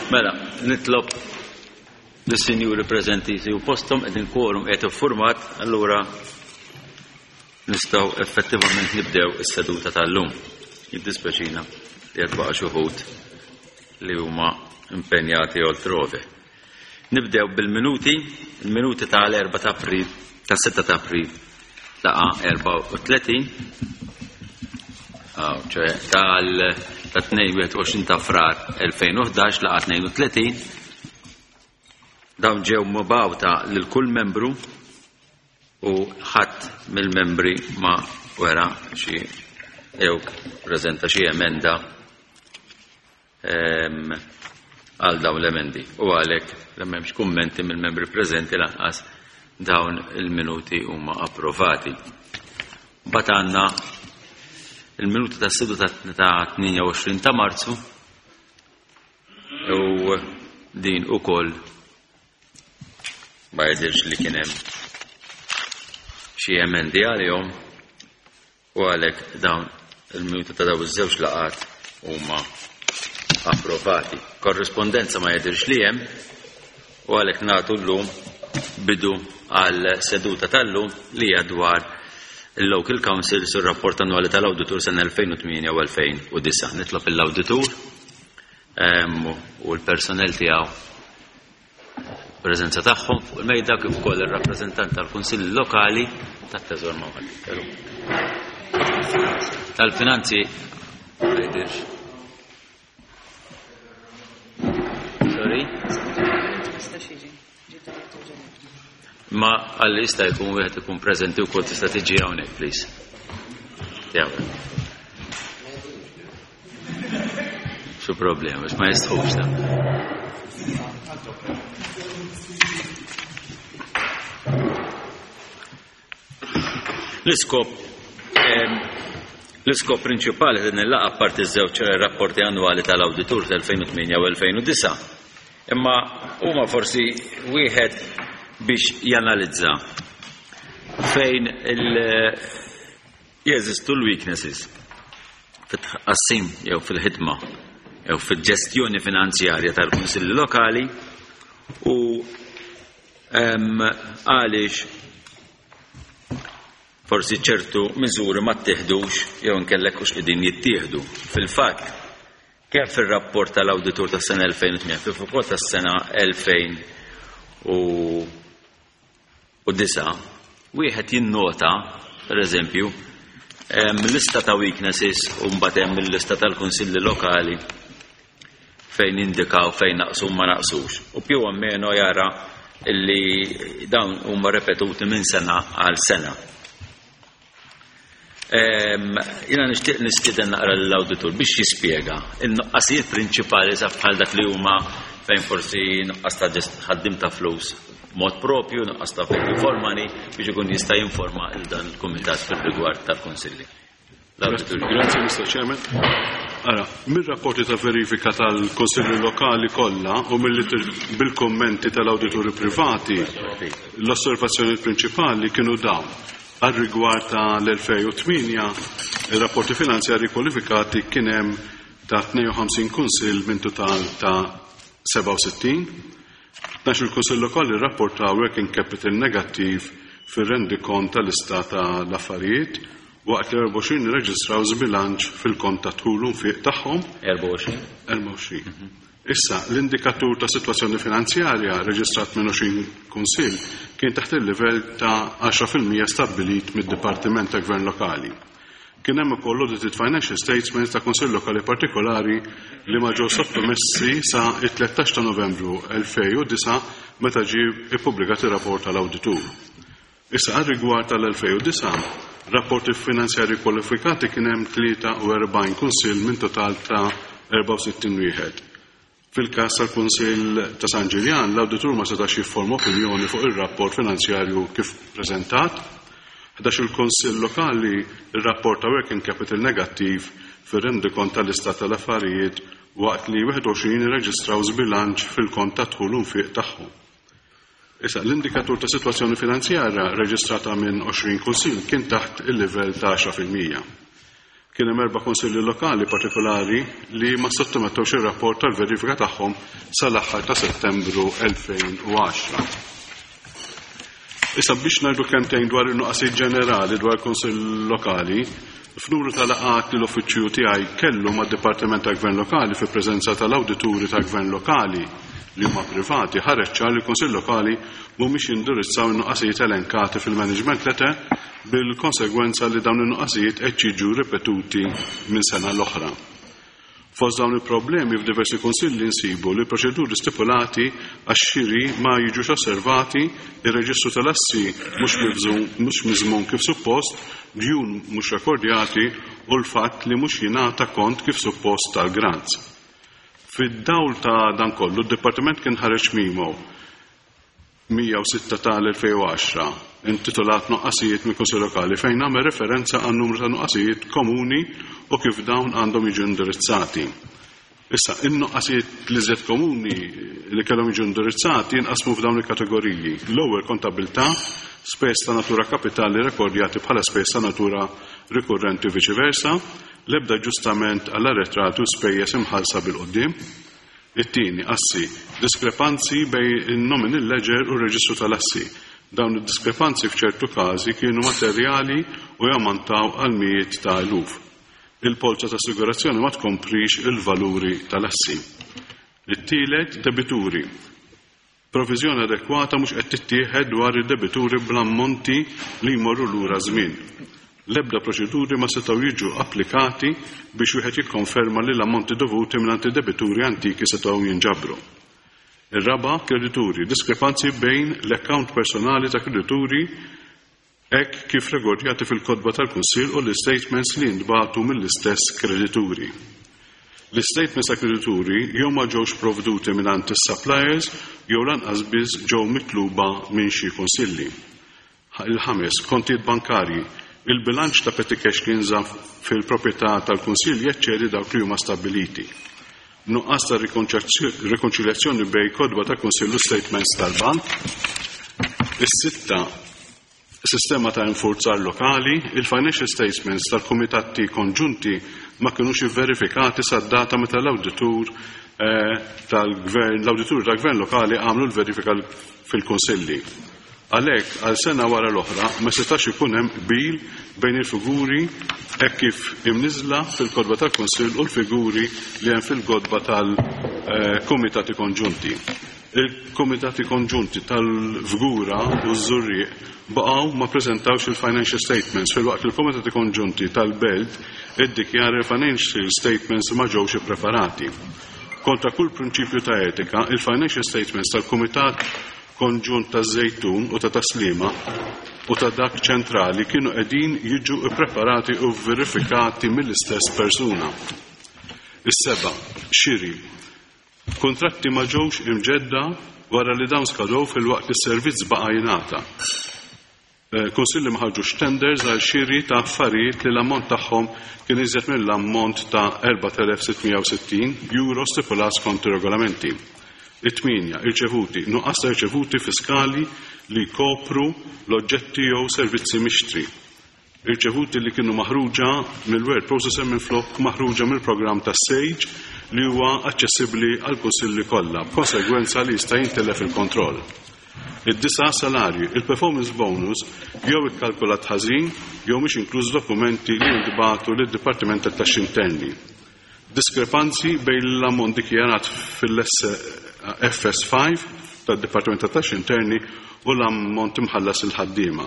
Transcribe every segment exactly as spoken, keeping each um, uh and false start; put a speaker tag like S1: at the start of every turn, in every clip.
S1: Mela, nitlob lis-sinjuri preżenti jsibu posthom, qegħdin quorum qed iffurmat, allura nistgħu effettivament nibdew is-seduta tal-lum. Jiddispeċina li qed baqa' xi wħud li huma impenjati oltrove. Nibdew bil-minuti, il-minuti tal-erba' ta' April, tas-sitta ta' April, laqa erbgħa u tletin, ċoè tal ta' tnejn u għoxrin ta' Frar elfejn u ħdax, laqa tnejn u tletin. Dawn ġew mibgħuta lil kull membru u ħadd mill-membri ma wera xi jew preżenta xi emenda għal dawn l-emendi u għalhekk li m'hemmx kummenti mill-membri preżenti lanqas, dawn il-minuti huma approvati. Mbagħad għandna il-minuti ta' seduta ta' tnejn u għoxrin ta' Marzu u din ukoll ma jidhirx li kien hemm xi emendi għalihom u għalhekk dawn il-minuti ta' dawn iż-żewġ laqgħat huma approvati. Korrispondenza ma jidhirx li hemm u għalhekk nagħtu llum bidu għal seduta tal-lum li hija dwar il-Local Council sur rapport annwali tal-Awditur sena elfejn u tmienja u elfejn u disgħa. Nitlob l-Awditur u l-personel tiegħu preżenza tagħhom fuq il-mejda, kif ukoll ir-rappreżentant tal-Kunsilli Lokali, tat-Teżor ma' tal-Finanzi ma jidhirx. Sorry? Ma għalli jista' jkun wieħed ikun preżenti wkoll, tista' tiġi hawnhekk, please. Jew. Xu problema, biex ma jistħux ta. L-iskop l-iskop prinċipali din il-laqgħa, parti żewġ rapporti annwali tal-awditur tal-elfejn u tmienja u elfejn u disgħa, imma huma forsi wieħed biex janalizza fejn il- jeżistu l-weaknesses fit-tqassim jew fil-ħidma jew fil-ġestjoni finanzjarja tal-kunsilli lokali u għaliex forsi ċertu miżuri ma ttieħdux jew inkellek hux qegħdin jittieħdu. Fil-fatt, kemm fir-rapport tal-awditur tas-sena elfejn u tmienja kif ukoll tas-sena elfejn u disgħa, wieħed jinnota, pereżempju, lista ta' weaknesses u mbagħad hemm il-lista tal-kunsilli lokali fejn indikaw fejn naqsu ma naqsux. U più o meno jara illi dawn huma repetuti minn sena għal sena. Jiena nixtieq nistieden naqra l-awditur biex jispjega in-nuqqasijiet prinċipali sa bħal dak li huma fejn forsi nuqqas ta' ħaddim ta' flus mod propju, nuqqas ta' value for money, biex ikun jista' jinforma il dan il-kumitat fil-rigward tal-kunsilli. L-awditur.
S2: Grazie, Mister Chairman. Ara, mir-rapporti ta' verifika tal-Konsilli Lokali kollha u bil-kommenti tal-awdituri privati, l-osservazzjoni prinċipali kienu dawn. Għal rigward tal-elfejn u tmienja, il-rapporti finanzjari kwalifikati kien hemm ta' tnejn u ħamsin kunsill minn total ta' sebgħa u sittin. Tnax il-kunsill lokali rrapportaw working capital negattiv fir-rendikont tal-istat tal-affarijiet, waqt li erbgħa u għoxrin irreġistraw żbilanċ fil-kont ta' dħul u nfiq tagħhom.
S1: erbgħa u għoxrin?
S2: erbgħa u għoxrin. Issa, l-indikatur ta' situazzjoni finanzjarja reġistrat minn għoxrin kunsill kien taħt il-livell ta' għaxra fil-mija stabbilit mid-Dipartiment ta' Gvern Lokali. Kien hemm ukoll audited financial statements ta' kunsill lokali partikolari li ma ġew sottomessi sa it-tlettax ta' Novembru elfejn u disgħa, meta ġie ippubblikat ir-rapport tal-awditur. Issa, għal rigward tal-elfejn u disgħa, rapporti finanzjari kwalifikati kien hemm tlieta u erbgħin kunsill minn total ta' erbgħa u sittin wieħed. Fil-każ tal-Kunsill ta' San Ġiljan, l-awditur ma setax jifforma opinjoni fuq ir-rapport finanzjarju kif preżentat. Ħdax il-Kunsill Lokali rrapporta working capital negattiv fir-rendikont tal-istat tal-affarijiet, waqt li wieħed u għoxrin irreġistraw żbilanċ fil-kont ta' dħul u nfiq tagħhom. Issa, l-indikatur ta' situazzjoni finanzjarja reġistrata minn għoxrin kunsill kien taħt il-livell ta' għaxra fil-mija. Kien hemm erba' kunsilli lokali partikolari li ma sottomettewx ir-rapport tal-verifika tagħhom sal-aħħar ta' Settembru elfejn u għaxra. Issa biex ngħidu kemmtejn dwar in-nuqqasijiet ġenerali dwar il-Kunsill Lokali, f'numru ta' laqgħat li l-uffiċċju tiegħi kellu mad-Dipartiment tal-Gvern Lokali fi preżenza tal-awdituri tal-Gvern Lokali li huma privati, ħareġ ċar li l-Kunsill Lokali mhumiex jindirizzaw in-nuqqasijiet elenkati fil-management letter, bil-konsegwenza li dawn in-nuqqasijiet qed jiġu ripetuti minn sena l-oħra. Fost dawn il-problemi f'diversi kunsilli nsibu li proċeduri stipulati għax-xiri ma jiġux osservati, ir-reġistru tal-assi mhux miżmum kif suppost, djun mhux rekordjati u l-fatt li mhux jingħata kont kif suppost tal-grants. Fid-dawl ta' dan kollu, d-Dipartiment kien ħareġ memo mija u sitta tal-elfejn u għaxra intitolat Nuqqasijiet mill-Kunsill Lokali fejn għamel referenza għan numru ta' nuqqasijiet komuni u kif dawn għandhom jiġu indirizzati. Issa, in-nuqqasijiet li żed komuni li kellhom jiġu indirizzati jinqasmu f'dawn il-kategoriji. L-ewwel, kontabilità, spejjeż ta' natura kapitali rekordjati bħala spejjeż ta' natura rikurrenti u viċi versa, l-ebda ġustament għall-arretrati u spejjeż imħallsa bil-qudiem. It-tieni, assi, diskrepanzi bejn in-nominal ledger u r-reġistru tal-assi. Dawn id-diskrepanzi f'ċertu każi kienu materjali u jammontaw għal mijiet ta' eluf. Il-polza ta' assigurazzjoni ma tkomprix il-valuri tal-assi. It-tielet, debituri. Provviżjoni adekwata mhux qed tittieħed dwar id-debituri bl-ammonti li jmorru lura żmien. L-ebda proċeduri ma setgħu jiġu applikati biex wieħed jikkonferma li l-ammonti dovuti mingħand id-debituri antiki setgħu jinġabru. Ir-raba', kredituri, diskrepanzi bejn l-account personali ta' kredituri hekk kif rekordjati fil-kotba tal-Kunsill u l-statements li jintbagħtu mill-istess kredituri. L-statements ta' kredituri jew ma ġewx provduti mingħand is-suppliers jew lanqas biss ġew mitluba minn xi kunsilli. Il-ħames, kontijiet bankarji. Il-bilanċ ta' petty cash li jinżamm fil-proprjetà tal-Kunsill jeċċedi dawk li huma stabbiliti. Nuqqas ta' rikonċiljazzjoni bejn kotba ta' Kunsill u statements tal-bank. Is-sitta, sistema ta' infurzar lokali, il-financial statements tal-kumitati konġunti ma kinux verifikati sad-data meta l-awditur, eh, tal-gvern, l-awditur tal-gvern lokali għamlu l-verifika fil-kunsilli. Għalhekk, għal sena wara l-oħra, ma setax ikun hemm qbil bejn il-figuri hekk kif imniżla fil-kotba tal-Kunsill u l-figuri li hemm fil-kotba tal-Kumitati Konġunti. Il-Kumitati Konġunti tal-Fgura u ż-Żurrieq baqgħu ma preżentawx il-financial statements filwaqt li l-Kumitati Konġunti tal-Belt iddikjara il-financial statements ma ġewx ippreparati. Kontra kull prinċipju ta' etika, il-financial statements tal-Kumitat Konġunt ta' Żejtun u ta' Taslima u ta' dak ċentrali kienu qegħdin jiġu ippreparati u verifikati mill-istess persuna. Is-seba', xiri. Kontratti ma ġewx imġedda wara li dawn skadew filwaqt li s-servizz baqa' jingħata. Eh, Kunsilli ma ħarġux tenders għal xiri ta' affarijiet li l-ammont tagħhom kien iżjed mill-ammont ta' erbat elef sitt mija u sittin euro stipulat skont ir-regolamenti. It-tminja, irċevuti, nuqqas ta' irċevuti fiskali li jkopru l-oġġetti jew servizzi mixtri. Irċevuti li kienu maħruġa mill-word processor minflok maħruġa mill-programm ta' Sage li huwa aċċessibbli għal kunsilli kollha, b'konsegwenza li jista' jintilef il-kontroll. Id-disa', salarju, il-performance bonus jew ikkalkulat ħażin jew mhix inkluż dokumenti li jintbagħtu lid-Dipartiment tat-Taxxi Interni. Diskrepanzi bejn l-ammont dikjarat fil-F S five tad-Dipartiment tat-Taxxi Interni u l-ammont imħallas il-ħaddiema.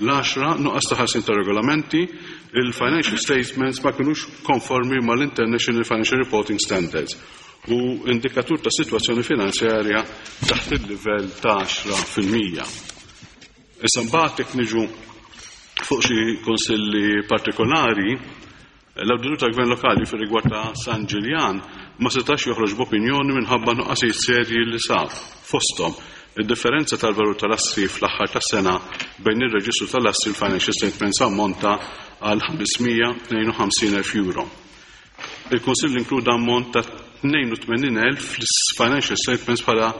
S2: L-għaxra, nuqqas ta' ħarsin ta' regolamenti, il-financial statements ma kinux konformi mal-International Financial Reporting Standards u indikatur ta' situazzjoni finanzjarja taħt il-livell ta' għaxra fil-mija. Issa mbagħad jekk niġu fuq xi kunsilli partikolari, l-awditur tal-Gvern Lokali fir-rigward ta' San Ġiljan ma setax joħroġ b'opinjoni minħabba nuqqasijiet serji li sab. Fosthom, id-differenza tal-valur tal-assi fl-aħħar tas-sena bejn ir-reġistru tal-assi u l-financial statements ammonta għal ħames mija tnejn u ħamsin elf euro. Il-Kunsill inkluda ammont ta' tnejn u tmenin elf fil-financial statements bħala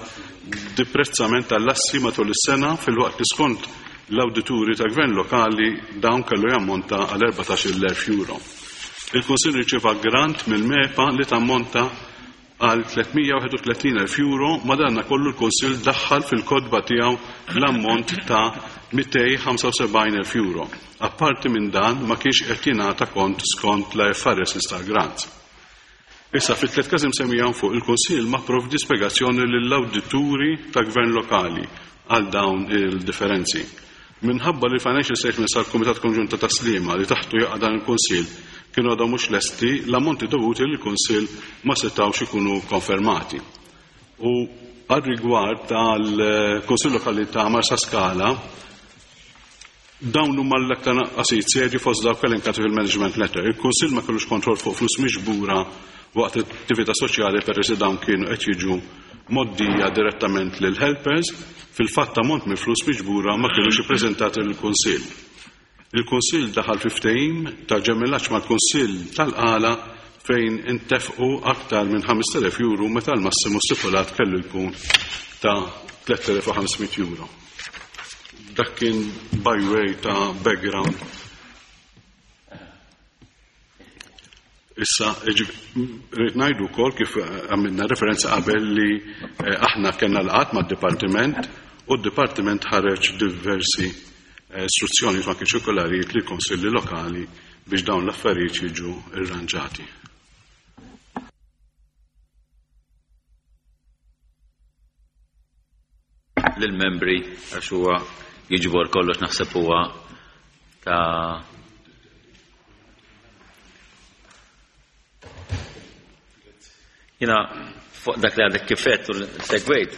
S2: deprezzament tal-assi matul is-sena filwaqt li skont l-awdituri tal-Gvern Lokali dawn kellu jammonta għal erbatax-il elf euro. Il-Kunsill riċeva grant mill-MEPA li tammonta għal tliet mija wieħed u tletin elf euro, madanna kollu l-Kunsill daħħal fil-kodba tiegħu l-ammont ta' mitej ħamsa u sebgħin elf euro. Apparti minn dan ma kienx qed jingħata kont skont l I F R S tal-grant. Issa fit-tliet każi msemmija hawn fuq il-Kunsill ma pprovdi spjegazzjoni lill-awdituri ta' gvern lokali għal dawn il-differenzi. Minħabba li l-Financial Statements tal-Kumitat Konġunt ta' Taslima li taħtu jaqa' dan il-Kunsill kienu għadhom mhux lesti, l-ammonti dovuti lill-Kunsill ma setgħux ikunu konfermati. U għal rigward tal-Kunsill Lokali ta' Marsaskala, dawn huma l-aktar naqqasijiet serji fost dawk elenkati fil-Management Letter. Il-Kunsill ma kellux kontroll fuq flus miġbura waqt attività soċjali peress li dawn kienu qed jiġu moddija direttament lil helpers, fil-fatt ammont minn flus miġbura ma kienux ippreżentati lill-Kunsill. Il-Kunsill daħal fi ftehim ta' ġemellaġġ mal-Kunsill tal-Qala fejn intefqu aktar minn ħamest elef euro meta l-massimu stipulat kellu jkun ta' tliet elef u ħames mitt euro. Dak kien by way ta' background. Issa, rrid ngħidu wkoll kif għamilna referenza qabel li, eh, aħna kellna laqgħat mad-dipartiment u d-dipartiment ħareġ diversi, eh, istruzzjoni ma kienx ċirkolarijiet li konsilli lokali biex dawn l-affarijiet jiġu irranġati.
S1: Lill-membri għax huwa jiġbor kollox naħseb huwa ta' Jina fuq dak li għadek kifet u segwejt.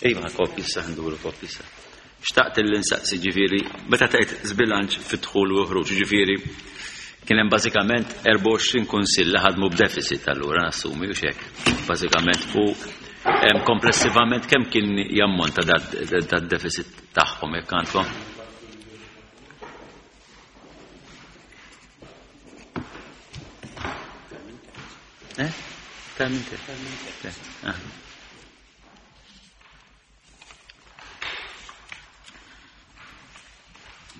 S1: Iva, kopji issa, nduru kopji issa. Xtaqt li nsaqsi ġifieri, meta tgħid żbilanċ fid-dħul u ħruġ, ġifieri kien hemm bażikament erbgħa u għoxrin kunsill li ħadmu b'deficit allura nassumi u x'hekk. Bażikament u hemm komplessivament kemm kien jammonta dad-deficit tagħhom jekk għandkom? Eh? Ah.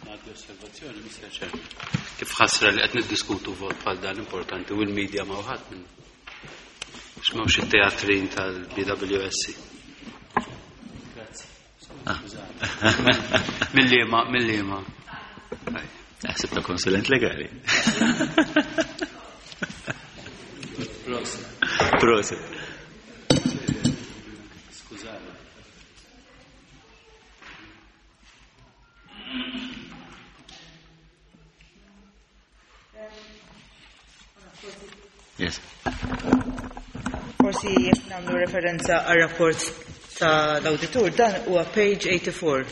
S3: Għaddi osservazzjoni, Mister Chairman. Kif ħasra li qed niddiskutu vot bħal dan importanti u l-medja ma wħadd minn. X'mawx it-teatrin tal-B W S C. Grazzi.
S1: Ah.
S3: Mill-liema, mill-liema.
S1: Naħseb ta' konsulent legali.
S3: Proset.
S1: Proset.
S3: Skużani.
S1: Yes.
S4: Forsi jekk nagħmlu referenza għar-rapport tal-awditur, dan huwa page eighty-four.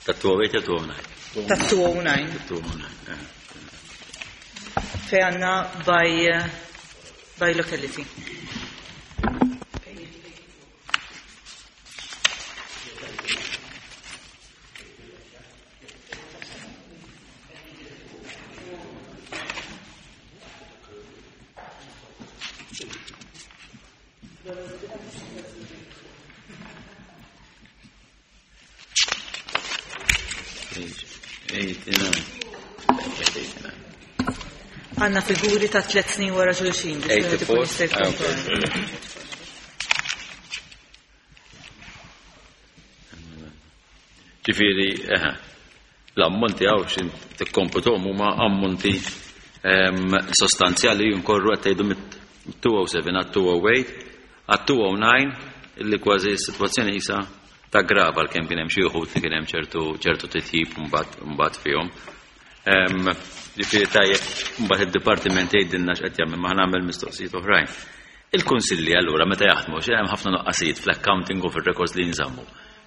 S1: Ta' two oh eight jew two oh nine?
S4: Ta' two oh nine.
S1: Ta' two oh nine, eh.
S4: Fej għandna by, eh, by locality. Għanna figuri ta' tliet snin wara xulxin biex wieħed ikun jista' jikkompara.
S1: Ġifieri, eħe, l-ammonti hawn x'in tikkomputhom huma ammonti, ehm, sostanzjali jinkorru qed tgħidu mit-two oh seven għat two oh eight għat two oh nine illi kważi s-sitwazzjoni qisha taggrava għalkemm kien hemm xi wħud li kien hemm ċertu, ċertu titjib mbagħad, mbagħad fihom. Ehm, ġifieri tajjeb, mbagħad id-dipartiment jgħidilna x'qed jagħmel, ma nagħmel mistoqsijiet oħrajn. Il-kunsilli allura meta jaħdmu xi hemm ħafna nuqqasijiet fl-accounting u fir-records li jinżammu.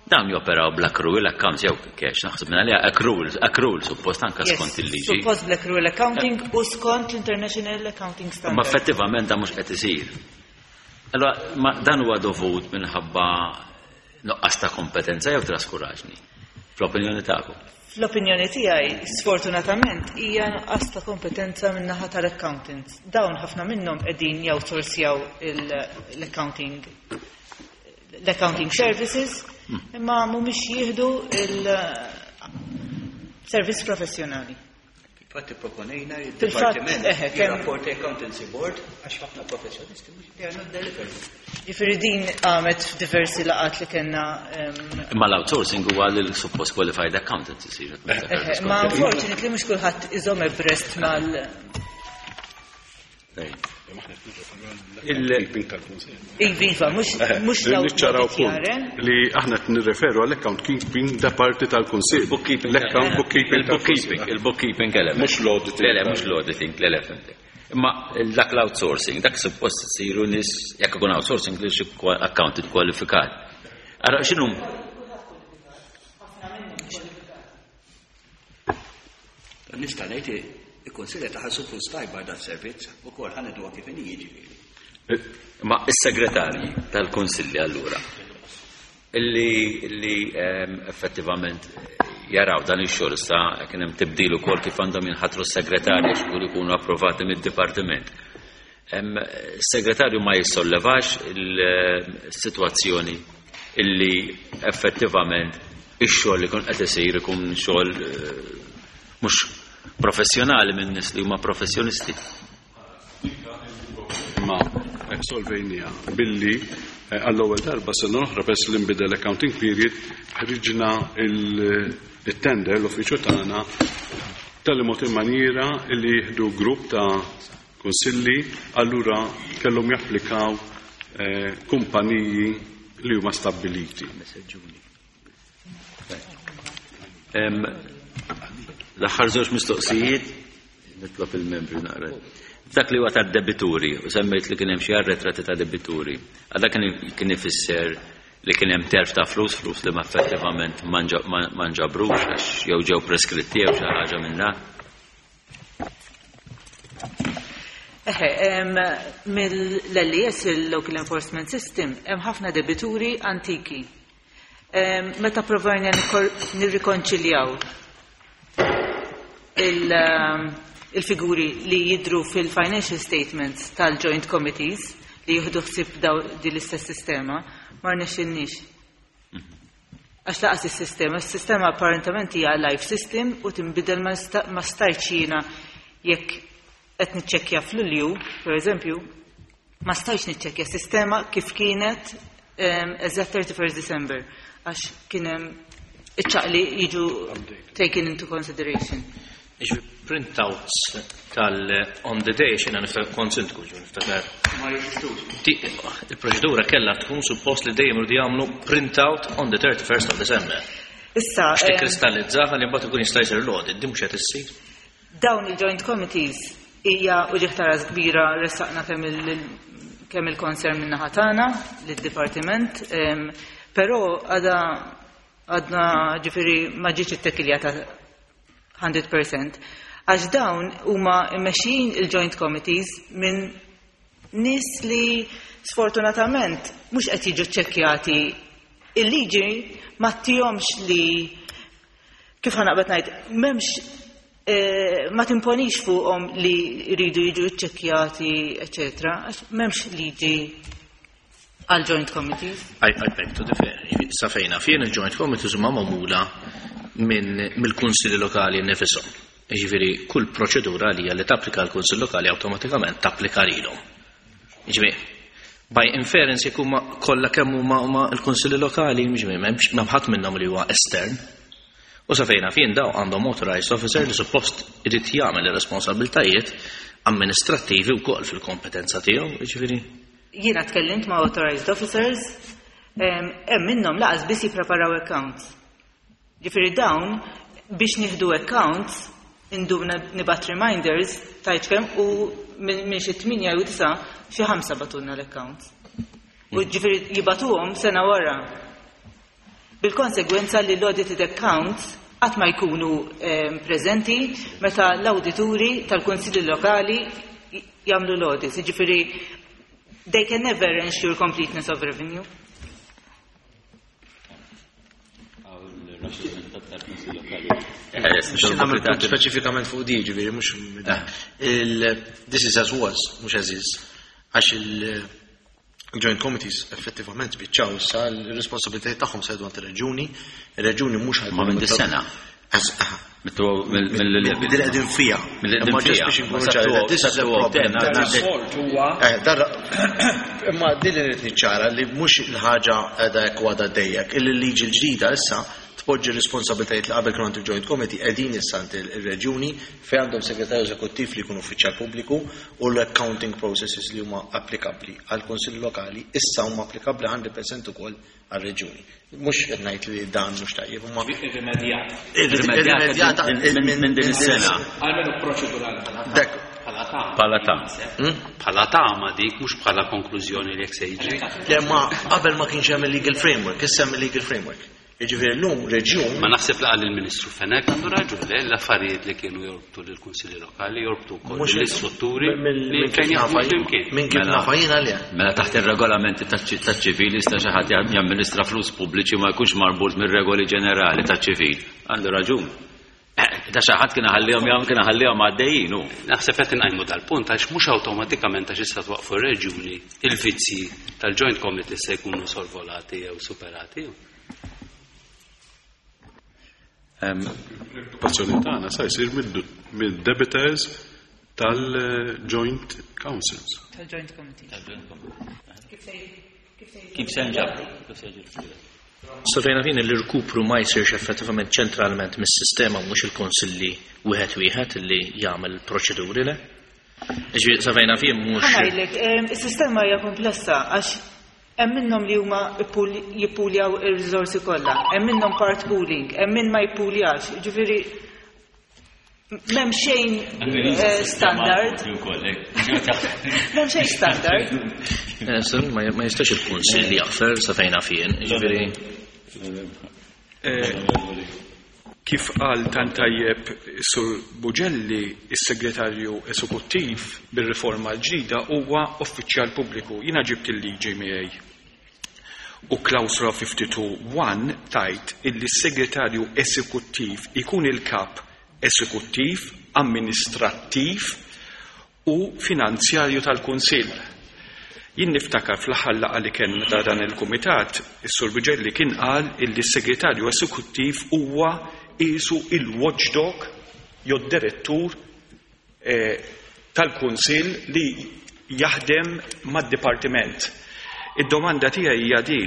S1: Dawn joperaw bl-accrual accounts jew cash, naħseb minn għaliha accrual, accrual suppost anke
S4: Yes,
S1: skont il-liġi.
S4: Suppost bl-accrual accounting u skont l-International Accounting Standard.
S1: Ma effettivament dan mhux qed isir. Allora, ma dan huwa dovut minħabba nuqqas ta' kompetenza jew traskuraġni? Fl-opinjoni tagħkom?
S4: Fl-opinjoni tiegħi, sfortunatament, hija nuqqas ta' kompetenza min-naħa tal-accountants. Dawn ħafna minnhom qegħdin jawsorsjaw il-, l-accounting, l-accounting services, imma mhumiex jieħdu il-servizz professjonali.
S5: Infatti proponejna il-Dipartiment il-rapport Accountancy Board għax ħafna professjonisti mhux they are not delivering.
S4: Jiġifieri din għamet f'diversi laqgħat li kellna.
S1: Imma l-outsourcing huwa lil suppost qualified accountants isir.
S4: Ma unfortunately mhux kulħadd iżomm abreast mal Iva, mhux
S2: niċċaraw punt li aħna qed nirreferu għall-account keeping da parti tal-Kunsill. L-account bookkeeping,
S1: il-bookkeeping, il-bookkeeping element.
S2: Mhux l-auditing.
S1: Le, le, mhux l-auditing, le, le, fimtek. Imma dak l-outsourcing, dak suppost isiru nies jekk ikun outsourcing li xi accountant kwalifikat. Ara x'inhu?
S5: Nista' ngħid il-Kunsill taħassu flus tajba dat servizz ukoll ħanedwa kif inhi jiġifieri.
S1: Ma is-segretarji tal-Kunsilli allura illi illi effettivament jaraw dan ix-xogħol issa kien hemm tibdil ukoll kif għandhom jinħatru s-segretarji x'ikun ikunu approvati mid-dipartiment. Is-segretarju ma jissollevax il-sitwazzjoni illi effettivament ix-xogħol li jkun qed isir ikun xogħol mhux professjonali minn nies li huma professjonisti.
S2: Ma solvejnija billi għall-ewwel darba sena oħra pers li nbidel accounting period ħriġna il-tender l-uffiċċju tagħna tal-mod il-maniera li jieħdu grupp ta' kunsilli allura kellhom japplikaw kumpaniji li huma stabbiliti.
S1: L-aħħar żewġ mistoqsijiet nitlob il-membri naqra. Dak li huwa tad-debituri, u semmejt li kien hemm xi arretrati ta' debituri. Għal dak kien ifisser li kien hemm terf ta' flus, flus li ma effettivament ma nġabrux għax jew ġew preskritti jew xi ħaġa minn dak.
S4: Eħe, mill-L E S, il-Local Enforcement System, hemm ħafna debituri antiki. Meta provajna nirrikonċiljaw il-figuri li jidru fil-financial statements tal-joint committees li jieħdu ħsieb din l-istess sistema, ma rnexxilniex. Għax laqas is-sistema, is-sistema apparentament hija live system u tinbidel ma stajtx jiena jekk qed niċċekkja f'Lulju, pereżempju, ma stajtx niċċekkja sistema kif kienet eżatt thirty-first December għax kien hemm iċ-ċaqli jiġu taken into consideration.
S6: Iġbi printouts tal-on the day xena niftakar konsintku ġu niftakar.
S5: Ma jeżistux.
S6: Il-proċedura kellha tkun suppost li dejjem irdu jagħmlu printout on the thirty-first of December.
S4: Issa,
S6: biex tikkristallizzaha li mbagħad ikun jista' jsir l-audit, din mhux qed issir.
S4: Dawn il-joint committees hija uġigħ ta' ras kbira ressaqna kemm il-concern minn naħa tagħna lid-dipartiment, però għadha għadna ġifieri ma ġietx ittekiljata hundred percent għax dawn huma mmexxijin il-joint committees minn nies li sfortunatament mhux qed jiġu ċċekkjati. Il-liġi ma ttihomx li kif ħanaqbad ngħid m'hemmx ma timponix fuqhom li jridu jiġu ċċekkjati, eċetera, għax m'hemmx liġi għal joint committees.
S6: I, I beg to differ. Sa fejna fien il-joint committees huma magħmula minn mill-kunsilli lokali nifishom. Jiġifieri kull proċedura li hija li tapplika l-kunsill lokali awtomatikament tapplika lilhom. Jiġifieri by inference jekk huma kollha kemm huma huma l-kunsilli lokali, jiġifieri m'hemmx m'hemm ħadd minnhom li huwa estern. U sa fejna fien daw għandhom authorized officer li suppost irid jagħmel ir-responsabbiltajiet amministrattivi wkoll fil-kompetenza tiegħu, jiġifieri.
S4: Jiena tkellimt ma' authorized officers, hemm minnhom laqas biss jippreparaw accounts. Ġifieri dawn biex nieħdu accounts indumna nibat reminders tajt kemm u minn xi tminja jew disa' xi ħamsa batunna l-accounts. U ġifieri jibatuhom sena wara. Bil-konsegwenza li l-audited accounts qatt ma jkunu preżenti meta l-awdituri tal-kunsilli lokali jagħmlu l-audits. Ġifieri they can never ensure completeness of revenue.
S6: Speċifikament fuq di, ġifieri, mhux il this is as was, mhux as is, għax il-joint committees effettivament spiċċaw issa l-responsabilitajiet tagħhom se jgħidu għand ir-reġuni, ir-reġuni mhux ħajkunu
S1: Ma minn dis-sena. Mill-level.
S7: Din qegħdin fiha.
S1: Mill-qegħdin
S7: Imma just
S1: fiha.
S7: biex inkunu
S1: Ma sa
S7: ċari, this is the problem.
S8: Rapport huwa
S7: Eh, dar- Imma din li rrid niċċara li mhux il-ħaġa qiegħda hekk għadha dejjek, illi l-liġi l-ġdida issa tpoġġi responsabiltajiet li qabel kienu għand il-Joint Committee qegħdin issa għand il-reġjuni fejn għandhom segretarju eżekuttiv li jkun uffiċjal pubbliku u l-accounting processes li huma applikabbli għal kunsilli lokali issa huma applikabbli mija fil-mija ukoll għal-reġjuni. Mhux qed ngħid li dan mhux tajjeb, imma
S6: Irrimedjat.
S7: irrimedjata
S1: Minn minn din is-sena.
S6: Almenu proċedurali bħala
S7: Dak.
S6: Bħala tama.
S1: Bħala tama.
S3: Bħala tama dik, mhux bħala konklużjoni li jekk se jiġri.
S7: Le ma qabel ma kienx hemm il-legal framework, issa hemm il-legal framework. Jiġifieri llum reġjun
S3: Ma naħseb laqal il-Ministru Fenech għandu raġun le l-affarijiet li kienu jorbtu lill-Kunsilli Lokali jorbtu wkoll
S7: Mhux
S3: l-istrutturi
S7: mill-
S3: li
S7: minn kif
S3: fejn jaħdmu
S7: nafa jien-
S3: flimkien.
S7: Minn kif
S1: Mela.
S7: nafa jiena le.
S1: Mela taħt ir-regolamenti taċ-ċivili jista' xi ħadd jamministra flus pubbliċi ma jkunx marbut mir-regoli ġenerali taċ-ċivil. Għandu raġun. Eh, Da xi ħadd kien ħallihom jagħmel kien ħallihom għaddejjin hu.
S3: Naħseb qed inqajmu dal-punt għax mhux awtomatikament għax issa twaqfu r-reġjuni il-vizzji tal-Joint Committee se jkunu sorvolati jew superati.
S2: L-okkupazzjoni tagħna sa jsir mid-debitors tal-Joint Councils.
S4: Tal-Joint Committee. Kif se kif se
S1: Kif se nġabru? Kif se jiġri?
S6: Sa fejn naf jien l-irkupru ma jsirx effettivament ċentralment mis-sistema, mhux il-konsilli wieħed wieħed li jagħmel proċeduri le. Ġifieri sa fejn naf jien mhux
S4: Ħa ngħidlek, em, is-sistema hija komplessa għax hemm minnhom li huma ippul- jippuljaw ir-riżorsi kollha, hemm minnhom part pooling, hemm min ma jippuljax, ġifieri m'hemm xejn eh, standard, m'hemm xejn standard.
S6: Eh, sa- ma ma jistax il-kunsill jaħfer sa fejn naf jien, ġifieri
S8: Kif qal tant tajjeb Sur Bugelli, is-segretarju eżekuttiv bir-riforma l-ġdida huwa uffiċjal pubbliku. Jiena ġibt il-liġi miegħi. U klawsula tnejn u ħamsin punt wieħed tgħid illi s-segretarju eżekuttiv ikun il-kap eżekuttiv, amministrattiv u finanzjarju tal-Kunsill. Jien niftakar fl-aħħar laqgħa li kellna ta' dan il-kumitat, is-Sur Bugelli kien qal illi s-segretarju eżekuttiv huwa qisu il-watchdog jew direttur eh, tal-Kunsill li jaħdem mad-dipartiment. Id-domanda tiegħi hija di: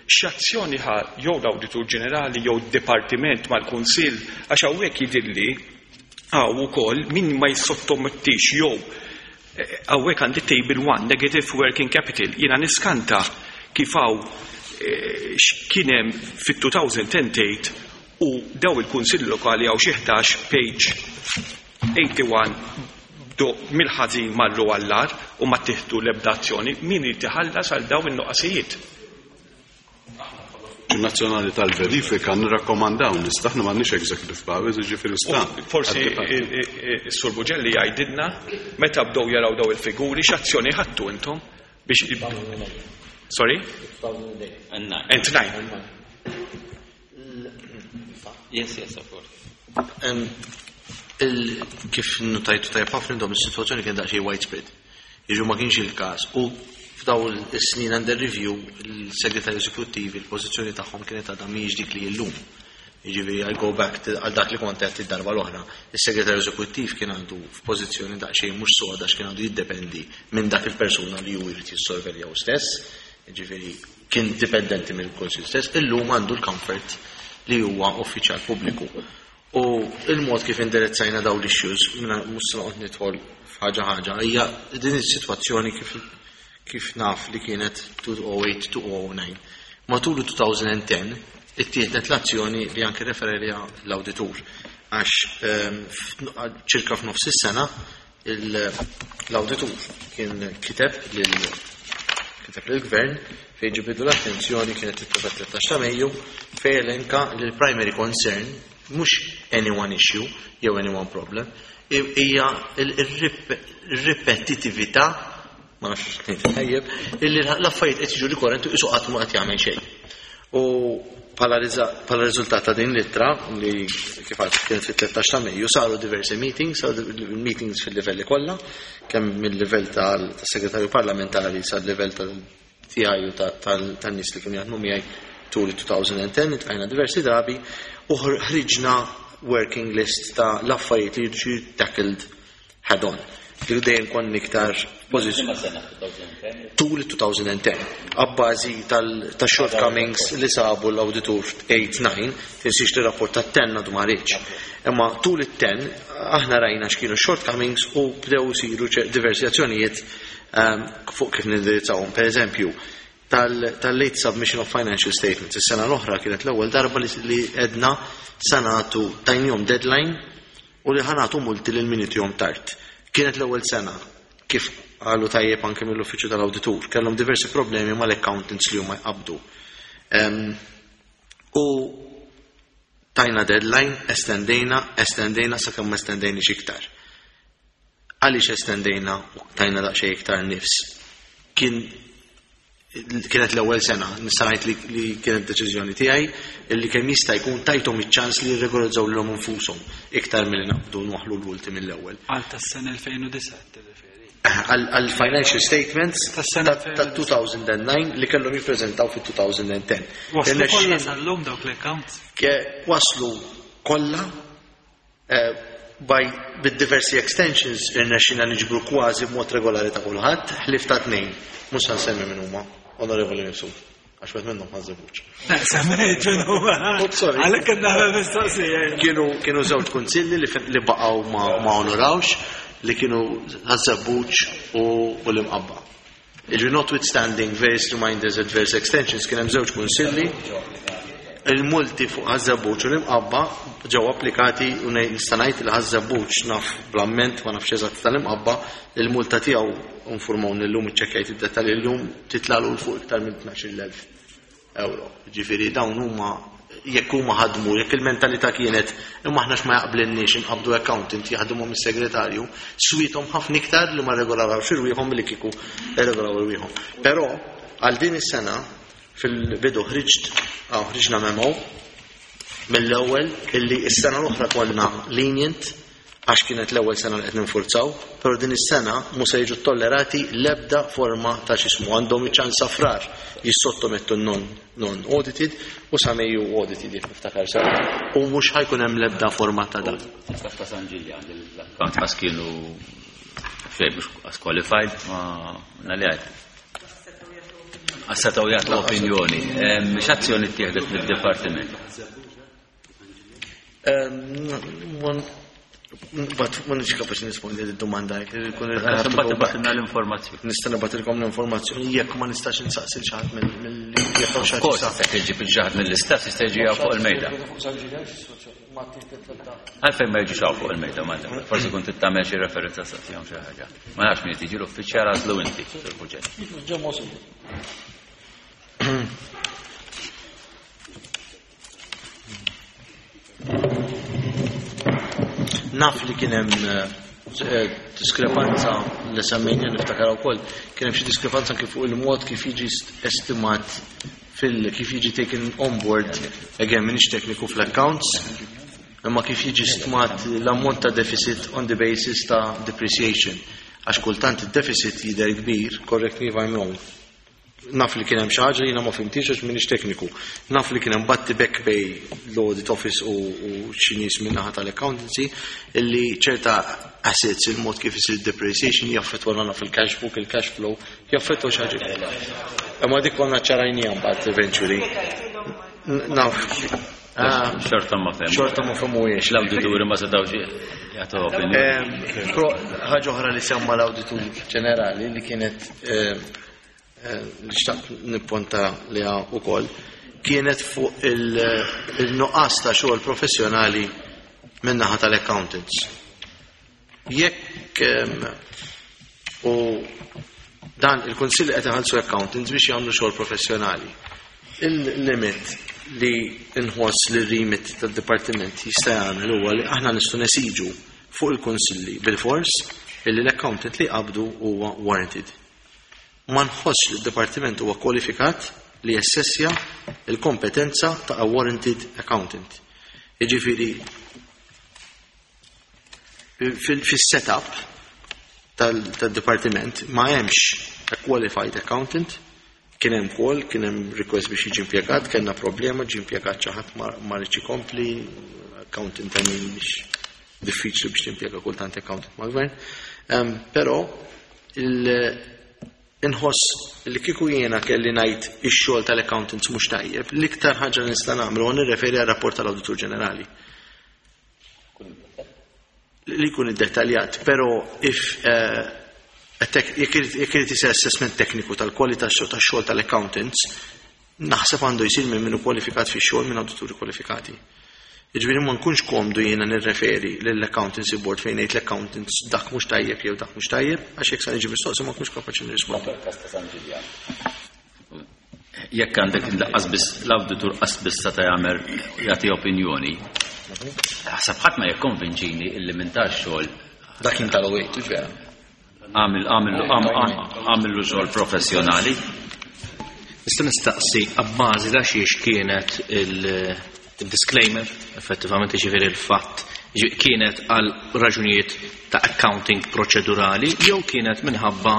S8: x'azzjoni ħa jew l-Awditur Ġenerali jew d-Dipartiment mal-Kunsill, għax hawnhekk jidhirli hawn ukoll min ma jissottomettix jew eh, hawnhekk għandi table one, negative working capital. Jiena niskanta kif hawn eh, x'kien hemm fit-elfejn u tmienja u daw il-Kunsill Lokali hawn xi ħdax, page wieħed u tmenin, do mill-ħażin marru għall-agħar u ma tieħdu l-ebda azzjoni. Min irid iħallas għal daw in-nuqqasijiet?
S2: Nazzjonali tal-Verifika nirrakkomandaw nista' aħna m'għandniex executive powers, jiġifieri sta.
S8: Forsi is-Sur Bugelli jgħidilna meta bdew jaraw daw il-figuri x'azzjoni ħadtu intom biex. Sorry? And nine.
S1: Yes, yes, of course.
S7: Em, il- Kif notajtu tajjeb ħafna intom, is-sitwazzjoni kien daqsxejn widespread. Jiġu ma kienx il-każ u f'daw is-snin under review il-segretarju eżekuttivi il-pożizzjoni tagħhom kienet għadha mhijiex dik li llum. Jiġifieri I go back to- għal dak li kont qed id-darba l-oħra. Is-segretarju eżekuttiv kien għandu f'pożizzjoni daqsxejn mhux soda għax kien għandu jiddependi minn dak il-persuna li hu jrid jissorvelja hu stess. Jiġifieri kien dipendenti mill-Kunsill stess, illum għandu l-comfort li huwa uffiċjal pubbliku. U il-mod kif indirizzajna daw l-issues, minna mhux se noqgħod nidħol f'ħaġa ħaġa, hija din is-sitwazzjoni kif kif naf li kienet elfejn u tmienja-elfejn u disa. Matul elfejn u għaxra ittieħdet l-azzjoni li anke referija l-awditur għax ehm, f'n- ċirka f'nofs is-sena il- l-awditur kien kiteb lil kiteb lill-gvern fejn ġibidlu l-attenzjoni, kienet it tlettax ta' Mejju, fejn elenka li l-primary concern mhux any one issue jew any one problem, i- hija il-ripetitività, ma nafx x'ngħid tajjeb, illi l-affarijiet qed jiġu rikorrenti qisu qatt ma qed jagħmel xejn. U bħala riża- bħala riżultat ta' din l-ittra li kif għedt kienet fit-tlettax ta' Mejju saru diversi meetings, saru meetings fil-livelli kollha, kemm mill-livell tal-segretarju parlamentari sal-livell tal-tiegħi u tan-nies li kienu jaħdmu miegħi tul elfejn u għaxra, iltqajna diversi drabi u ħriġna working list ta' l-affarijiet li jiġu tackled head on. Li dejjem konna iktar pożizzjoni tul twenty ten. Abbażi tal-shortcomings li sabu l-auditur eight nine, tinsiex li rapport ta' ten għadu ma ħariġx. Imma tul it-ten aħna rajna x'kienu shortcomings u bdew isiru diversi azzjonijiet fuq kif nindirizzawhom. Per eżempju, tal-late submission of financial statements. Is-sena l-oħra kienet l-ewwel darba li edna sanatu tajnihom deadline u li ħanatu multi lil min jom tard. Kienet l-ewwel sena kif qalu tajjeb anke mill-uffiċċju tal-awditur, kellhom diversi problemi mal-accountants li huma jqabdu. U tajna deadline, estendejna, estendejna sakemm ma estendejniex iktar. Għaliex estendejna u tajna daqsxejn iktar nifs? Kien kienet l-ewwel sena, nista' ngħid li, li kienet deċiżjoni tiegħi illi kemm jista' jkun tajthom iċ-ċans li jirregolarizzaw lilhom infushom iktar milli naqbdu nwaħħlu l-ulti mill-ewwel.
S3: Għal tas-sena elfejn u disgħa tirreferi.
S7: Għal financial statements
S3: Tas-sena
S7: ta' two thousand nine li kellhom jippreżentaw fit two thousand ten.
S3: Waslu kollha sal-lum dawk l-accounts?
S7: Waslu kollha by bid-diversi extensions irnexxina niġbru kważi b'mod regolari ta' kulħadd, ħlief ta' tnejn. Mhux se nsemmi min huma. Onorevoli Mifsud, għax wieħed minnhom ħażebuċ.
S3: Semmejt min huma.
S7: Sorry.
S3: Għalhekk kien nagħmel mistoqsija.
S7: Kienu kienu żewġ kunsilli li li baqgħu ma, ma onorawx, li kienu Ħaż-Żebbuġ u, u l-Imqabba. Iġri notwithstanding various reminders at various extensions, kien hemm żewġ kunsilli. Il-multi fuq Ħaż-Żebbuġ u l-Imqabba ġew applikati u nista' ngħid li Ħaż-Żebbuġ naf bl-amment ma nafx eżatt tal-Imqabba, il-multa tiegħu informawni llum iċċekkjajt id-dettalji llum titlalu l fuq iktar minn tnax-il elf euro. Ġifieri dawn huma jekk huma ħadmu, jekk il-mentalità kienet imma aħna x'ma jaqblinniex inqabdu accountant jaħdmuhom is-segretarju, swithom ħafna iktar li ma regolarawx irwieħhom milli kieku regolaw irwieħhom. Però għal din is-sena fil-bidu ħriġt, aw ħriġna memo mill-ewwel illi s-sena l-oħra konna lenient għax kienet l-ewwel sena li qed ninfurzaw, però din is-sena mhux se jiġu tollerati l-ebda forma ta' x'ismu, għandhom iċ-ċans safrar jissottomettu non, non audited u sa Mejju audited jekk niftakar sew. U mhux ħajkun hemm l-ebda forma ta' dan.
S1: Tista' ta' San Ġiljan l-account għas kienu xejn mhux qualified ma nagħliha. Għas setgħu jagħtu opinjoni. X'azzjoni ttieħdet mid-dipartiment?
S7: But ma nix kapaċi nispondi d-domanda.
S1: Mbagħad tibgħatilna l-informazzjoni.
S7: Nista' nibgħatilkom l-informazzjoni jekk ma nistax insaqsi l xi ħadd mill-, jekk hawn xi ħadd
S1: Of course,
S7: jistaqsi.
S1: jekk iġib il xi ħadd mill-istess jista' jiġi hawn fuq il-mejda. Għalfejn ma jiġux hawn fuq il-mejda, ma nafx. Forsi kont tagħmel xi referenza saqsihom xi ħaġa. Ma nafx min tiġi l-uffiċjal għażlu inti fil-proġett.
S7: Naf li kien hemm, eh, diskrepanza li semmejna niftakar ukoll, kien hemm xi diskrepanza anke fuq il-mod kif jiġi estimat fil kif jiġi taken on board, again m'iniex tekniku fl-accounts, imma kif jiġi stmat l-ammont ta' deficit on the basis ta' depreciation. Għax kultant id-deficit jidher kbir, correct me if I'm wrong. Naf li kien hemm xi ħaġa li jiena ma fimtix għax m'iniex tekniku. Naf li kien hemm batti back bej l-audit office u, u xi nies min-naħa tal-accountancy illi ċerta assets il-mod kif isir depreciation jaffettwa nagħna fil-cash book, il-cash flow, jaffettwa xi ħaġa. Imma dik konna ċarajnija mbagħad eventually. Naf. Ah,
S1: Xorta ma fehmu.
S7: Xorta ma fehmuhiex.
S1: L-awdituri ma setgħux jagħtu opinjoni.
S7: Ehm, pro ħaġa oħra li semma l-awditur ġenerali li kienet, ehm, eh, li xtaqt nipponta liha wkoll, kienet fuq il-, il-nuqqas ta' xogħol professjonali min-naħa tal-accountants. Jekk, ehm, u dan il-Kunsill qed iħallsu accountants biex jagħmlu xogħol professjonali. Il-limit li nħoss li r-remit tad-dipartiment jista' jagħmel huwa li aħna nistgħu nesiġu fuq il-kunsilli bil-fors illi l-accountant li qabdu huwa warranted. Ma nħossx li d-dipartiment huwa kwalifikat li jessessja il-kompetenza ta' a warranted accountant. Jiġifieri fil-setup tal-dipartiment ma hemmx a qualified accountant Kien hemm call, kien hemm request biex jiġi impjegat, kellna problema, ġie impjegat xi ħadd ma rridx ikompli, accountant I mean biex diffiċli biex timpjega kultant accountant mal-gvern. Però inħoss li kieku jiena kelli ngħid ix-xogħol tal-accountants mhux tajjeb, l-iktar ħaġa li nista' nagħmlu huwa nirreferi għar-rapport tal-Awditur Ġenerali. Li jkun iddettaljat, però if jekk irid isir assessment tekniku tal-kwalità tax-xogħol tal-accountants, naħseb għandu jsir minn minnu kwalifikat fix-xogħol minn awdituri kwalifikati. Jiġifieri ma nkunx komdu jiena nirreferi lill-accountancy board fejn ngħid l-accountants dak mhux tajjeb jew dak mhux tajjeb, għax jekk sa niġi mistoqsi ma nkunx kapaċi nirrispondi.
S1: Jekk għandek laqqas biss l-awditur qas biss seta' jagħmel jagħti opinjoni, ħasab ħadd ma jikkonvinċini illi minn tax-xogħol
S7: Dak kien tal-owejt, vera.
S1: Għamil għamillu xogħol professjonali.
S6: Nista' nistaqsi abbażi ta' xiex kienet il-disclaimer, effettivament ġifieri il-fatt, kienet għal raġunijiet ta' accounting proċedurali jew kienet minħabba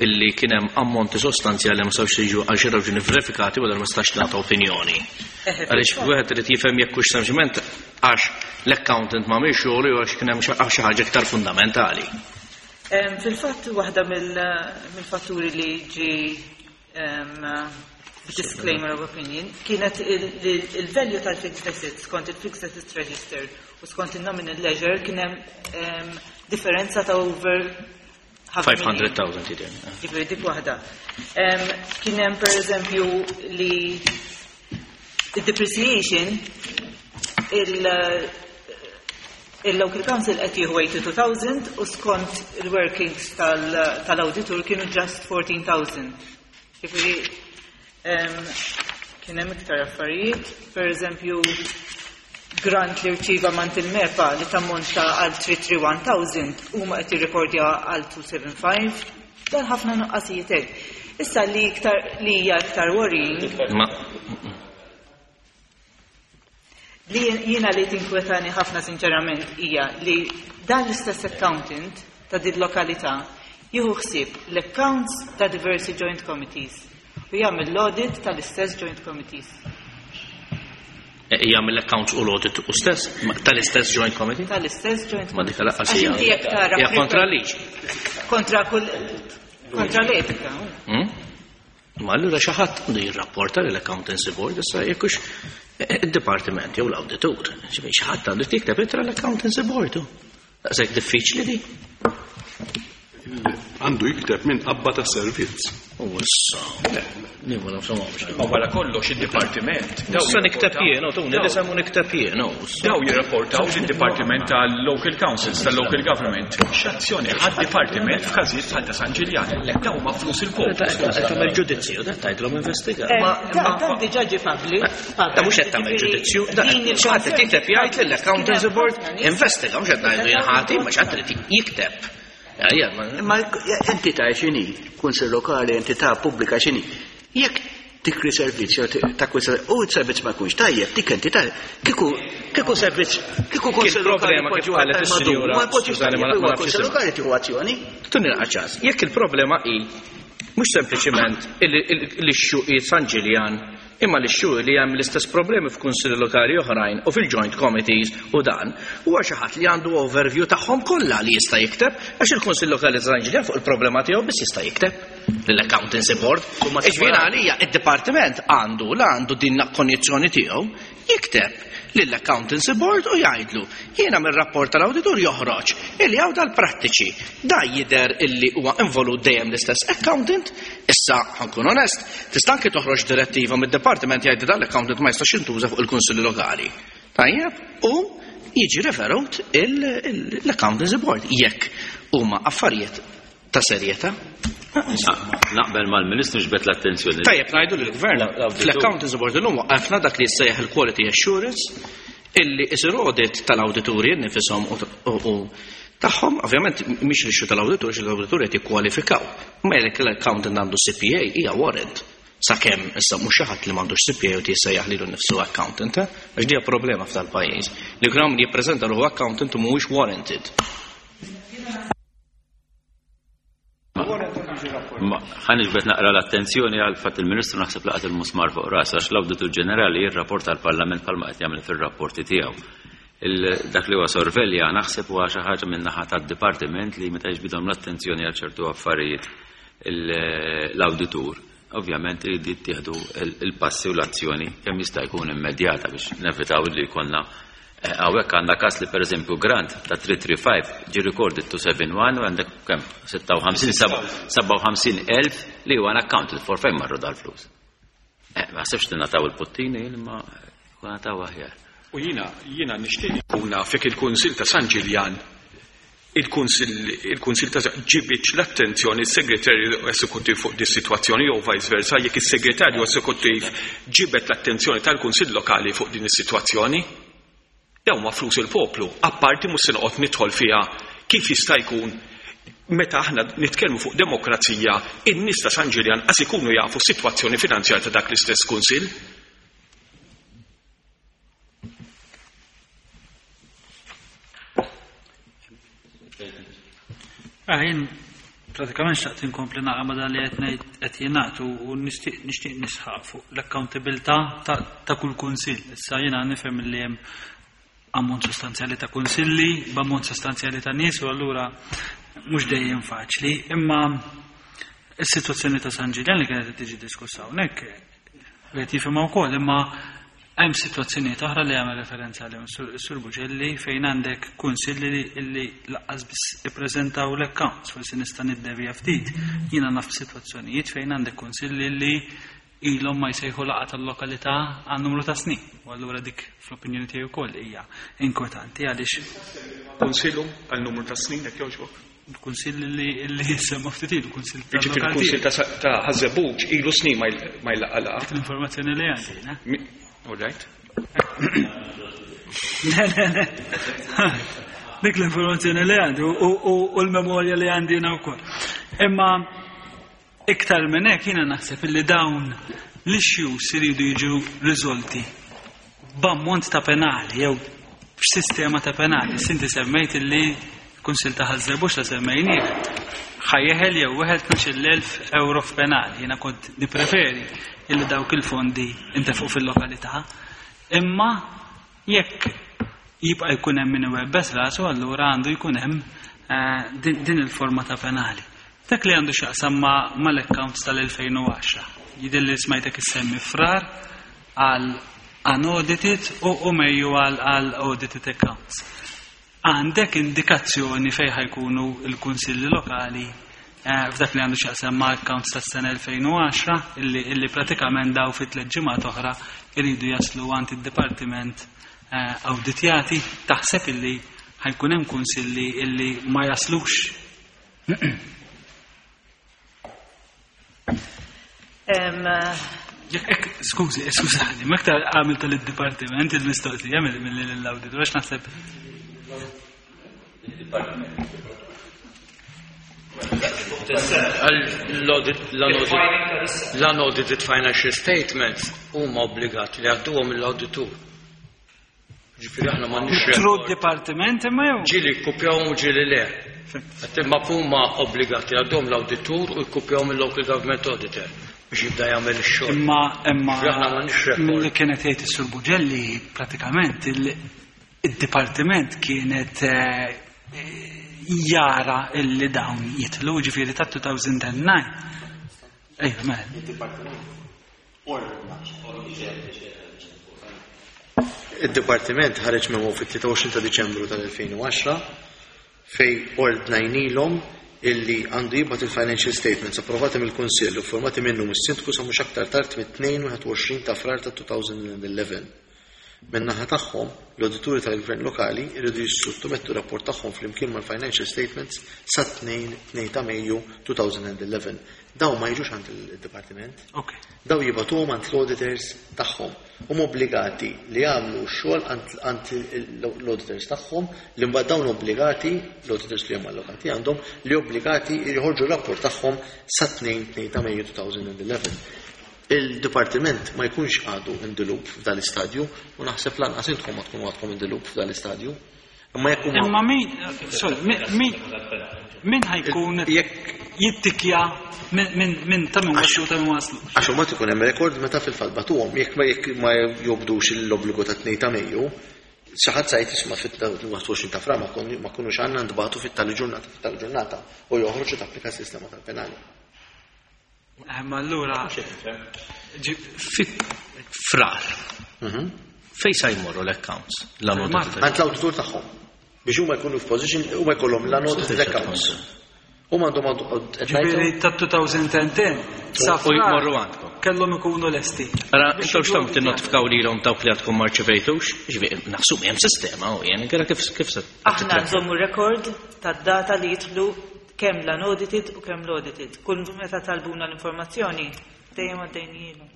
S6: illi kien hemm ammonti sostanzjali ma sawx jiġu għal xi raġuni verifikati u ma stax nagħta opinjoni. Għaliex wieħed irid jifhem jekk hux sempliċement għax l-accountant ma mhix xogħol jew għax kien hemm xi ħaġa iktar fundamentali.
S4: Fil-fatt waħda mill-fatturi li ġi disclaimer of opinion kienet il-value tal-fixed assets skont il-fixed assets register u skont il-nominal ledger kien hemm differenza ta' over
S6: five hundred thousand jidher.
S4: Ġifieri dik waħda. Kien hemm pereżempju li il-depreciation il-local council qed jieħu eighty-two thousand u skont il-workings tal-auditor kienu just fourteen thousand. Ġifieri kien hemm iktar affarijiet, pereżempju grant li rċiva mant il-MEPA li tammonta għal three three one thousand huma qed jirrekordja għal two seven five, dan ħafna nuqqasijiet hekk. Issa li iktar li hija iktar worrying li jiena li tinkwetani ħafna sinċerament hija li dan l-istess accountant ta' din lokalità jieħu ħsieb l-accounts ta' diversi joint committees u jagħmel l-audit tal-istess joint committees.
S6: Jagħmel l-accounts u l-audit u stess tal-istess joint committee?
S4: Tal-istess joint
S6: Ma dik
S4: committee.
S6: laqqas
S4: Għax
S6: hija
S4: inti jekk tara
S6: hija kontra liġi.
S4: Kontra kull kontra l-etika.
S6: Hmm? Ma allura xi ħadd għandu jirrapporta lill-accountancy board issa jekk hux id-dipartiment jew l-awditur. Ġifieri xi ħadd għandu jikteb ittra l-accountancy board. Daqshekk diffiċli di.
S2: Għandu jikteb minn qabba ta' servizz.
S6: U issa, nieħu nafsu ma nafx.
S8: Ma wara kollox id-dipartiment.
S6: Issa nikteb jien, u tuni nisem u nikteb jien, u issa.
S8: Daw jirrapportaw lid-dipartiment tal-local councils, tal-local government. X'azzjoni ħadd dipartiment f'każijiet bħal ta' San Ġiljan. Daw ma flus il-poplu.
S6: Qed tagħmel ġudizzju, da tgħidlhom investiga.
S4: Da dan diġà ġie public.
S6: Da mhux qed tagħmel ġudizzju, da xi ħadd qed jikteb jgħid lill-accountancy board investiga, mhux qed ngħidu jien ħati, ma xi ħadd irid jikteb.
S5: Ma entità x'inhi, kunsill lokali, entità pubblika x'inhi. Jekk tikri servizz jew takkwista u s-servizz ma jkunx tajjeb, dik entità kieku kieku servizz, kieku kunsill lokali
S6: problema kif
S5: jpoġġu
S6: qalet
S5: għal
S6: is-sinjura
S5: madum, ma jpoġġux
S6: Susanne, ma
S5: tajjeb, huwa
S6: nafx
S5: kunsill
S6: isem.
S5: lokali tieħu azzjoni.
S6: Tuni naqgħaċas, jekk il-problema hi mhux sempliċiment l-issue hi San Ġiljan, imma l-issue li hemm l-istess problemi f'kunsilli lokali oħrajn u fil-joint committees u dan, huwa xi ħadd li għandu overview tagħhom kollha li jista' jikteb, għax il-Kunsill Lokali ta' San Ġiljan fuq il-problema tiegħu biss jista' jikteb lill-Accountancy Board. Ġifieri għalija id-dipartiment għandu la għandu din l-konjizzjoni tiegħu jikteb lill-Accountancy Board u jgħidlu jiena mir-rapport tal-awditur joħroġ illi hawn dal-prattiċi. Da jidher illi huwa involut dejjem l-istess accountant. Issa ħankun onest, tista' anke toħroġ direttiva mid-dipartiment jgħid dan l-accountant ma jistax jintuża fuq il-Kunsilli Lokali. Tajjeb, u jiġi referut l-Accountancy Board jekk huma affarijiet ta' serjetà.
S1: Naqbel mal-Ministru ġbet l-attenzjoni.
S6: Tajjeb ngħidu lill-Gvern fl-Accountancy Board illum waqqafna dak li jissejjaħ il-Quality Assurance illi isir audit tal-awdituri nifishom u tagħhom, ovvjament mhix l-issue tal-awditur, għax l-awdituri qed jikkwalifikaw. Ma jekk l-accountant għandu C P A hija warrant. Sakemm issa mhux xi ħadd li m'għandux C P A u jissejjaħ lilu nnifsu accountant, eh? Għax dija problema f'dal-pajjiż. Li jkun hawn min jippreżenta ruħu accountant u mhuwiex warranted.
S1: Ħa niġbed naqra l-attenzjoni għal fatt il-Ministru naħseb laqat il-musmar fuq ras għax l-Awditur Ġenerali jirrapporta għall-Parlament bħalma qed jagħmel fir-rapporti tiegħu. Dak li huwa sorvelja naħseb huwa xi ħaġa min-naħa tad-dipartiment li meta jiġbidhom l-attenzjoni għal ċertu affarijiet l-awditur. Ovvjament irid jittieħdu il-passi u l-azzjoni kemm jista' jkun immedjata biex nevitaw li jkollna hawnhekk għandna każ li pereżempju grant ta' three three five ġie recorded two seven one u għandek kemm sitta u ħamsin, seba' u ħamsin elf li huwa unaccounted for fejn marru dal-flus. Ma ħsibx li nataw il-puttini imma nataw aħjar.
S8: U jiena, jiena nixtieq nkun naf jekk il-Kunsill ta' San Ġiljan il-Kunsill, il-Kunsill ta' ġibitx l-attenzjoni s-Segretarju Esekuttiv fuq dis sitwazzjoni jew vice versa, jekk is-Segretarju Esekuttiv ġibet l-attenzjoni tal-Kunsill Lokali fuq din is-sitwazzjoni. Dawn ma flus il-poplu, apparti mhux se noqgħod nidħol fiha kif jista' jkun meta aħna nitkellmu fuq demokrazija, in-nies ta' San Ġiljan qas ikunu jafu s-sitwazzjoni finanzjarja ta' dak l-istess kunsill.
S3: Jien pratikament xtaqt inkompli naqra ma' dan li qed ngħid qed jingħad u nixtieq, nixtieq nisħaq fuq l-accountabilità ta', ta' kull kunsill. Issa jiena nifhem li hemm ammont sostanzjali ta' kunsilli, b'ammont sostanzjali ta' nies u allura mhux dejjem faċli, imma is-sitwazzjoni ta' San Ġiljan li kienet qed tiġi diskussa hawnhekk qed jifhimha wkoll, imma hemm sitwazzjonijiet oħra li jagħmel referenza għalihom is-Sur Buġelli fejn għandek kunsilli li, li laqqas biss ippreżentaw l-accounts, forsi nista' niddevja ftit. Jiena naf sitwazzjonijiet fejn għandek kunsilli li ilhom ma jsejħu laqgħa tal-lokalità għal numru ta' snin. U allura dik fl-opinjoni tiegħi wkoll hija inkwetanti għaliex
S8: Kunsillu għal numru ta' snin jekk jogħġbok.
S3: Kunsill li, li semma ftit ilu, kunsill ta'
S8: Jiġifieri
S3: lokalità.
S8: kunsill ta' sa-, ta' Ħaż-Żebbuġ ilu snin ma jl-, ma jlaqqa' laqgħa.
S3: Dik l-informazzjoni li għandi, ne?
S8: Mi-, All right.
S3: Le, le, le. Dik l-informazzjoni li għandi u, u, u l-memorja li għandi jiena wkoll. Imma iktar minn hekk jiena naħseb illi dawn l-issues iridu jiġu riżolti b'ammont ta' penali jew b'sistema ta' penali. Sinti semmejt illi kunsill ta' Ħaż-Żebbuġ la semmejnieh ħajjeħel jew wieħed tnax-il elf euro f'penali. Jiena kont nippreferi illi dawk il-fondi intefqu fil-lokalità. Imma jekk jibqa' jkun hemm min iwebbes rasu, allura għandu jkun hemm, eh, din, din il-forma ta' penali. Dak li għandu x'jaqsam ma', mal-accounts tal-elfejn u għaxra. Jidher li smajtek issemmi frar għal unaudited u, u Mejju għal, għal audited accounts. Għandek indikazzjoni fejn ħajkunu l-kunsilli lokali, eh, f'dak li għandu x'jaqsam ma' accounts tas-sena elfejn u għaxra illi, illi pratikament daw fi tliet ġimgħat oħra iridu jaslu għand id-dipartiment, eh, awditjati. Taħseb illi ħajkun hemm kunsilli illi ma jaslux?
S4: Em,
S3: Jekk, skużi, skużani, ma iktar għamil tal-dipartiment il-mistoqsija mill-, mill-awditur, għax naħseb.
S7: L-unaudited financial statements huma obbligati li għadduhom mill-awditur. Ġifieri aħna m'għandniex
S3: Through
S7: rekord.
S3: dipartiment imma jew?
S7: Ġieli kkupjawhom u ġieli le. Qed imma huma obbligati għadduhom l-awditur u jkkupjawhom mill-local government auditor biex jibda jagħmel ix-xogħol.
S3: Imma, imma
S7: Ġifieri aħna m'għandniex rekord.
S3: milli kienet jgħid is-Sur Buġelli pratikament il-, id-dipartiment kienet, eh, jara illi dawn jitlu, ġifieri ta' two thousand and nine. Ejja, mela.
S7: Id-dipartiment ħareġ memo fit-tlieta u għoxrin ta' Diċembru tal-elfejn u għaxra fej ordnajnilhom illi għandu jibgħat il-financial statements approvati mill-Kunsill u formati minnu mis-sindku sa mhux aktar tard mit-tnejn u għoxrin ta' Frar ta' two thousand and eleven. Min-naħa tagħhom, l-awdituri tal-gvern lokali jridu jissottomettu rapport tagħhom flimkien mal-financial statements sa tnejn tnejn ta' Mejju two thousand and eleven. Daw ma jiġux għand il-dipartiment.
S3: Ok.
S7: Daw jibgħatuhom għand l-auditors tagħhom. Huma obbligati li jagħmlu x-xogħol għand, għand l-auditors tagħhom li mbagħad dawn obbligati, l-auditors li huma allokati għandhom, li obbligati jħorġu r-rapport tagħhom sa tnejn tnejn ta' Mejju two thousand and eleven. Il-dipartiment ma jkunx għadu in the loop f'dan l-istadju u naħseb lanqas intkom ma tkunu għadkom in the loop f'dan l-istadju. Imma jekk huma
S3: Imma min, sorry, min min ħajkun jittikja minn min ta' min waslu ta' min waslu.
S7: Għax huma ikun hemm rekord meta fil-fatt batuhom, jekk ma jekk ma jobdux l-obbligu ta' tnejn ta' Mejju, xi ħadd sajt isma' fit-wieħed u għoxrin ta' Frar ma kunux għandna ntbagħtu fit-tali ġurnata fit-tali ġurnata u joħroġ u tapplika s-sistema tal-penali.
S3: Ma allura
S6: fit Frar. Fej sa jmorru l-accounts?
S7: Għand l-awditur tagħhom. Biex huma jkunu f'position huma jkollhom l-unaudited accounts. Huma għandhom
S3: Ġifieri ta' elfejn u għaxra sa
S6: U jmorru għandkom.
S3: Kellhom ikunu lesti.
S6: Ara, intom x'tom tinnotifikaw lilhom dawk li għadkom ma rċevejtux? Ġifieri naħsub hemm sistema u jien inkella kif kif se
S4: Aħna nżommu rekord tad-data li jidħlu kemm l-unaudited u kemm l-audited. Kull meta talbuna l-informazzjoni dejjem għaddejnielu.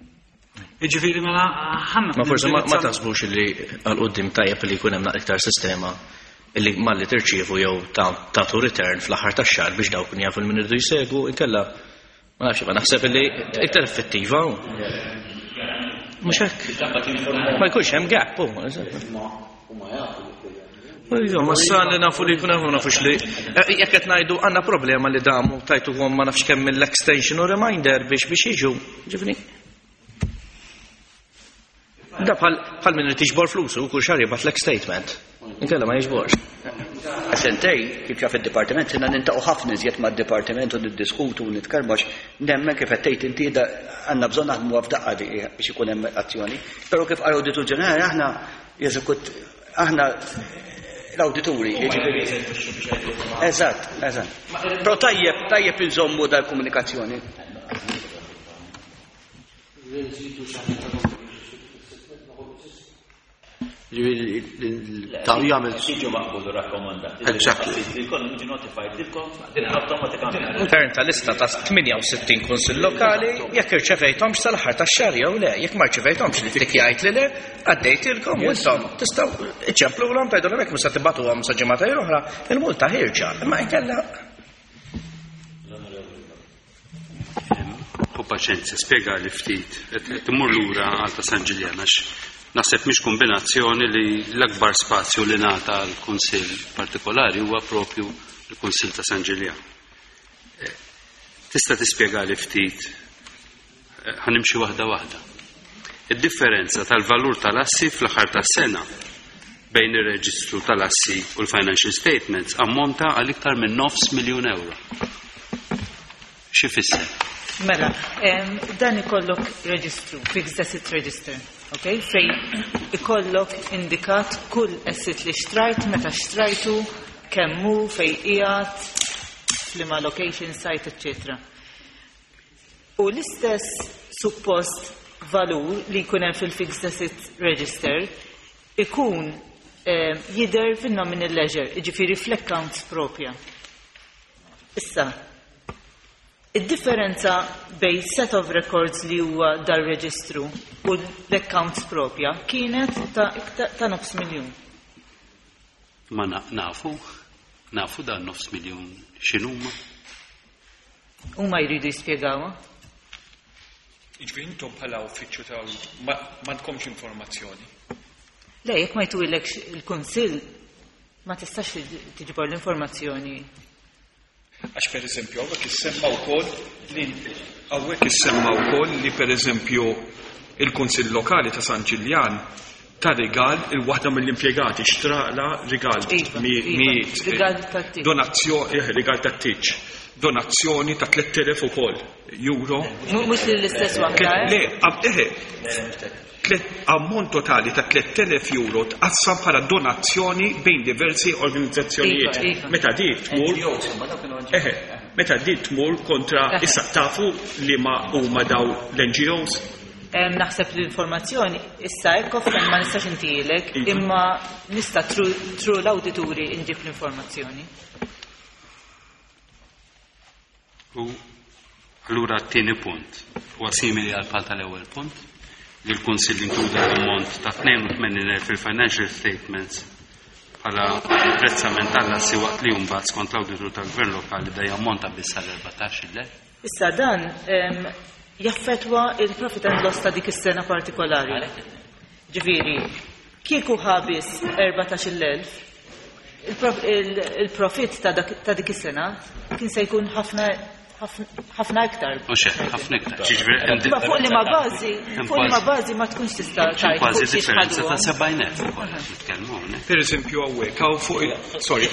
S3: Jiġifieri mela ħanna.
S6: Ma forsi ma ma taħsbux li għal quddiem tajjeb li jkun hemm naqra iktar sistema illi malli tirċievu jew tagħtu return fl-aħħar tax-xahar biex dawk kun jafu l-min irdu jsegwu, inkella ma nafx, ma naħseb illi iktar effettiva. Mhux hekk. Ma jkunx hemm gap, hu. Iva, ma sa li nafu li jkun hemm nafux li jekk qed ngħidu għandna problema li damu tajtuhom ma nafx kemm mill-extension u reminder biex biex jiġu. Ġifni. Da bħal bħal min irid jiġbor flusu kull xahar jibgħat l statement. Inkella ma jiġborx.
S5: Sentej, kif jaf id-dipartiment, sena niltaqgħu ħafna iżjed mad-dipartiment u niddiskutu u nitkellmu għax nemmen kif qed tgħid inti da għandna bżonn naħdmu f'daqqa di biex ikun hemm azzjoni. Però kif qal Awditur Ġenerali aħna jeżekut aħna l-awdituri, jiġifieri. Eżatt, eżatt. Però tajjeb, tajjeb inżommu dal-komunikazzjoni.
S7: Ta' jagħmel
S1: Jiġu maqbulu rakkomandati.
S7: Exactly.
S1: Li jkollhom jiġu notified lilkom awtomatikament.
S6: Return ta' lista ta' tmienja u sittin kunsill lokali, jekk irċevejthomx sal-aħħar tax-xahar jew le, jekk ma rċevejthomx li tikjajt li le, għaddejtilkom u intom tistgħu iċċemplulhom tgħidulhom hekk mhux se tibgħatuhom sa ġimgħatejn oħra, il-multa ħierġa, imma inkella
S3: U paċenzja, spjega li ftit, qed immur lura għal ta' San Ġiljan għax naħseb mhix kombinazzjoni li l-akbar spazju li ngħata għal kunsill partikolari huwa propju l-Kunsill ta' San Ġiljan. Eh, Tista' tispjega li ftit, eh, ħa nimxi waħda waħda. Id-differenza tal-valur tal-assi fl-aħħar tas-sena bejn ir-reġistru tal-assi u l-financial statements ammonta għal iktar minn nofs miljun euro. Xi fisser?
S4: Mela, em, dan ikollok reġistru, fixed asset register, ok? Fej ikollok indikat kull asset li xtrajt, meta xtrajtu, kemmu, fej qiegħed, f'liema location, site, eccetera. U l-istess suppost valur li jkun hemm fil-fixed asset register ikun eh, jidher fin-nominal ledger, jiġifieri fl-accounts propja. Issa, id-differenza bej set of records li huwa dar-reġistru u l-accounts propja kienet ta' iktar ta' nofs miljun.
S3: Ma na- nafu, nafu dan nofs miljun x'inhuma?
S4: Huma jridu jispjegawha.
S8: Jiġifieri intom bħala uffiċċju ta' ma m'għandkomx informazzjoni.
S4: Le, jekk ma jtuhilekx il-kunsill ma tistax tiġbor l-informazzjoni.
S8: Għax per eżempju, hawnhekk issemma wkoll li hawnhekk issemma wkoll li per eżempju il-Kunsill Lokali ta' San Ġiljan ta rigal il-waħda mill-impjegati xtrala rigal
S4: Iva,
S8: mi-
S4: iva,
S8: mi-
S4: rigal tat-tieġ.
S8: Donazzjoni, eh, rigal tat-tieġ. Donazzjoni ta' tliet elef ukoll euro.
S4: Mhux lill-istess waħda, eh?
S8: Le, am- eħe, tlet- ammont totali ta' tliet elef euro tqassam bħala donazzjoni bejn diversi organizzazzjonijiet.
S4: Iva, iva.
S8: Meta di tmur, eħe, meta di tmur kontra
S4: Eħe.
S8: issa tafu li ma huma daw l-N G Os.
S4: Em, Naħseb l-informazzjoni issa hekk offhand ma nistax intilek,
S8: Iva.
S4: imma nista' through l-awdituri inġib l-informazzjoni.
S3: U allura t-tieni punt huwa simili għal pal tal-ewwel punt li l-Kunsill inkluda l-ammont ta' tnejn u tmenin elf fil-financial statements bħala apprezzament tal-assi waqt li mbagħad skont l-awditur tal-Gvern Lokali da jammonta biss għal erbatax-il elf.
S4: Issa dan em, jaffetwa il-profit and loss ta' dik is-sena partikolari. Ġifieri, kieku ħabis erbatax-il elf, Il-profit ta' dik is-sena kien se jkun ħafna ħafna iktar.
S3: Mhux hekk, ħafna iktar. Ġifieri
S4: fuq li ma bażi, fuq li ma bażi ma tkunx tista' tgħid.
S3: Kważi differenza ta' sebgħin elf ukoll nitkellmu hawnhekk.
S8: Pereżempju hawnhekk hawn fuq sorry.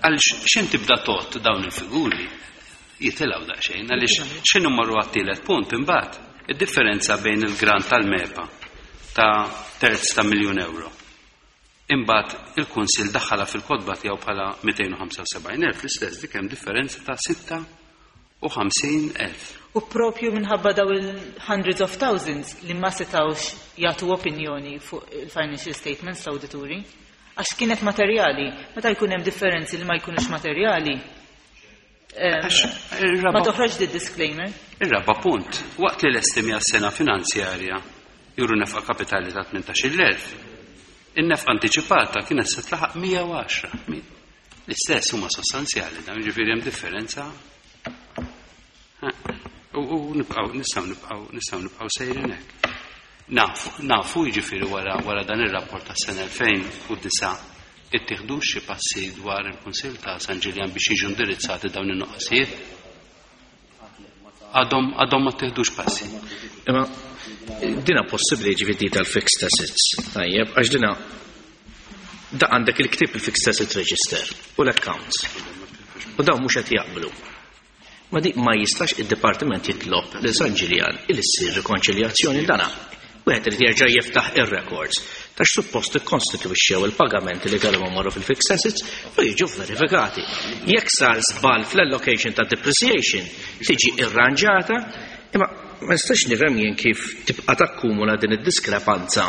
S3: Għaliex x'in tibda tot dawn il-figuri jitilgħu daqsxejn, għaliex x'inhu marru għat-tielet punt imbagħad id-differenza bejn il-grant tal-MEPA ta' terz ta' miljun euro. Imbagħad il-Kunsill daħħalha fil-kotba tiegħu bħala mitejn u ħamsa u sebgħin elf, l-istess dik hemm differenza ta' sitta u ħamsin elf.
S4: U propju minħabba daw il-hundreds of thousands li ma setgħux jagħtu opinjoni fuq il-financial statements l-awdituri, għax kienet materjali. Meta jkun hemm differenzi li ma jkunux materjali, ma toħroġ di disclaimer.
S3: Ir-raba' punt, waqt li l-estimi għas-sena finanzjarja juru nefqa kapitali ta' tmintax-il elf, in-nefqa antiċipata kienet se tlaħaq mija u għaxra. L-istess huma sostanzjali, dan jiġifieri hemm differenza. U, u nibqgħu, nistgħu nibqgħu, nistgħu nibqgħu sejrin hekk. Nafu, nafu jiġifieri wara, wara dan ir-rapport tas-sena elfejn u disa' ittieħdux xi passi dwar il-Kunsill ta' San Ġiljan biex jiġu indirizzati dawn in-nuqqasijiet? Għadhom, għadhom ma ttieħdux passi.
S6: Imma dina possibbli jiġifieri tal-fixed assets, tajjeb, għax dina da għandek il-ktieb il-fixed asset register u l-accounts. U dawn mhux qed jaqblu. Ma dik ma jistax id-dipartiment jitlob lil San Ġiljan il issir rikonċiljazzjoni dana. Wieħed irid jerġa' jiftaħ ir-records ta' x'suppost ikkonstitwixxew il-pagamenti li kellhom imorru fil-fixed assets u jiġu verifikati. Jekk sar żball fl-allocation ta' depreciation tiġi irranġata, imma ma nistax nifhem jien kif tibqa' takkumula din id-diskrepanza.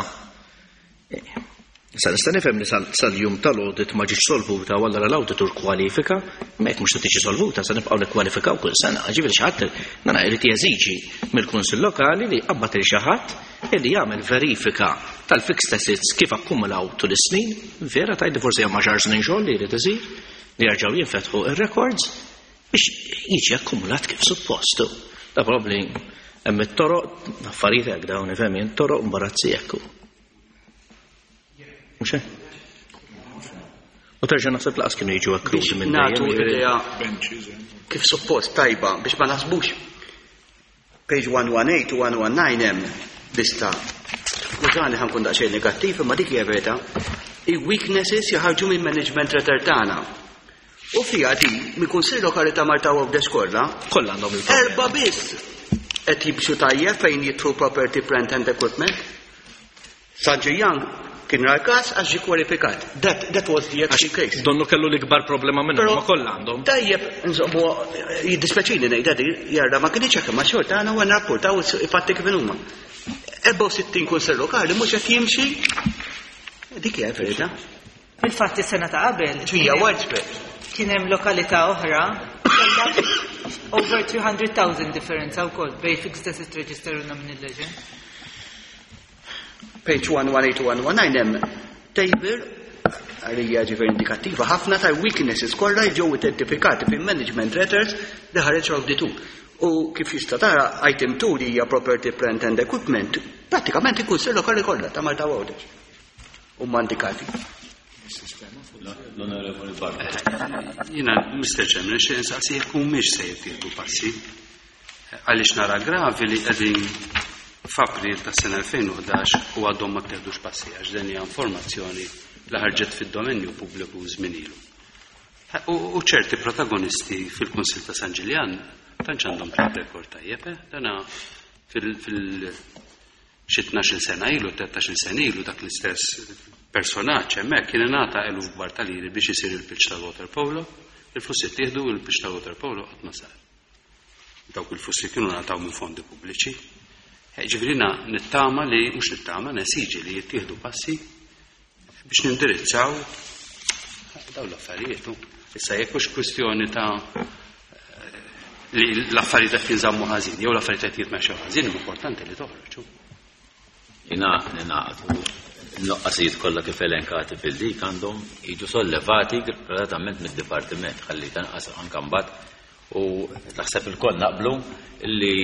S6: Sa nista' nifhem li sal-, sal-jum tal-audit ma ġietx solvuta u allura l-auditur kwalifika, ma jekk mhux se tiġi solvuta se nibqgħu nikkwalifikaw kull sena. Ġifieri xi ħadd nara jrid jeżiġi mill-Kunsill Lokali li jqabbad il xi ħadd illi jagħmel verifika tal-fixed assets kif akkumulaw tul is-snin, vera tgħid li forsi hemm għaxar snin xogħol li jrid isir, li jerġgħu jinfetħu ir-records biex jiġi akkumulat kif suppost. Da probabbli hemm it-toroq, affarijiet hekk dawn ifhem jien, toroq imbarazzi hekk. Mhux hekk? U terġa' naħseb laqas kienu jiġu akkruti minn
S5: Nagħtu
S6: dejjem, jiġifieri
S5: idea kif suppost tajba biex ma naħsbux. Page one one eight u one one nine hemm lista. Skużani ħankun daqsxejn negattiv, imma dik hija verità. I-weaknesses jaħarġu minn management letter tagħna. U fiha di mill-Kunsill Lokali ta' Malta u Għawdex kollha,
S6: Kollha għandhom il-problema.
S5: Erba' biss qed jimxu tajjeb fejn jidħlu property, plant and equipment. San Ġiljan kien ra l-każ għax ġie kwalifikat. That, that was the actual case.
S6: Donnu kellu l-ikbar problema minnhom,
S5: Però
S6: ma kollha għandhom.
S5: Tajjeb, insomma, jiddispeċini ngħidha di, jarra ma kienx hekk, ma xorta għandna u nrapportaw i-fatti kif huma. Erbgħa u sittin kunsill lokali mhux qed jimxi. Dik hija verità.
S4: Fil-fatt is-sena ta' qabel.
S5: Hija widespread.
S4: Kien hemm lokalità oħra kellha over three hundred thousand differenza wkoll bejn fixed asset register u nominal ledger.
S5: Page one one eight one one nine hemm table għalija ġifieri indikattiva ħafna ta' weaknesses kollha ġew identifikati fil-management letters li ħareġ l-awditur. U kif jista' tara item two li hija property, plant and equipment, pratikament il-Kunsill Lokali kollha ta' Malta u Għawdex. Huma indikati.
S1: L-Onorevoli Bartolo.
S3: Jiena, Mister Chairman, nixtieq insaqsi jekk humiex se jittieħdu passi. Għaliex nara gravi li qegħdin f'April tas-sena elfejn u ħdax u għadhom ma ttieħdux passi għax din hija informazzjoni li ħarġet fid-dominju pubbliku żmien ilu. U, u ċerti protagonisti fil-Kunsill ta' San Ġiljan tantx għandhom track record tajjeb, eh? Dana fil-, fil xi tnax-il sena ilu, tlettax-il sena ilu dak l-istess personaġġ hemmhekk kien ingħata eluf kbar ta' liri biex isir il-pitch tal-water polo, il-flus ittieħdu u il-pitch tal-water polo qatt ma sar. Dawk il-flus li kienu ngħataw minn fondi pubbliċi. Eh, ġifieri nittama li, mhux nittama, nesiġi li jittieħdu passi biex nindirizzaw dawn l-affarijiet. Issa jekk hux kwistjoni ta' li l-affarijiet qed jinżammu ħażin, jew l-affarijiet qed jitmexxew ħażin, importanti li toħroġ.
S1: Jina ninaqdu n-noqqasijiet kollha kif elenkati fil-dik għandhom jiġu sollevati gradatament mid-dipartiment ħalli tanqas anke mbagħad u naħseb ilkoll naqblu li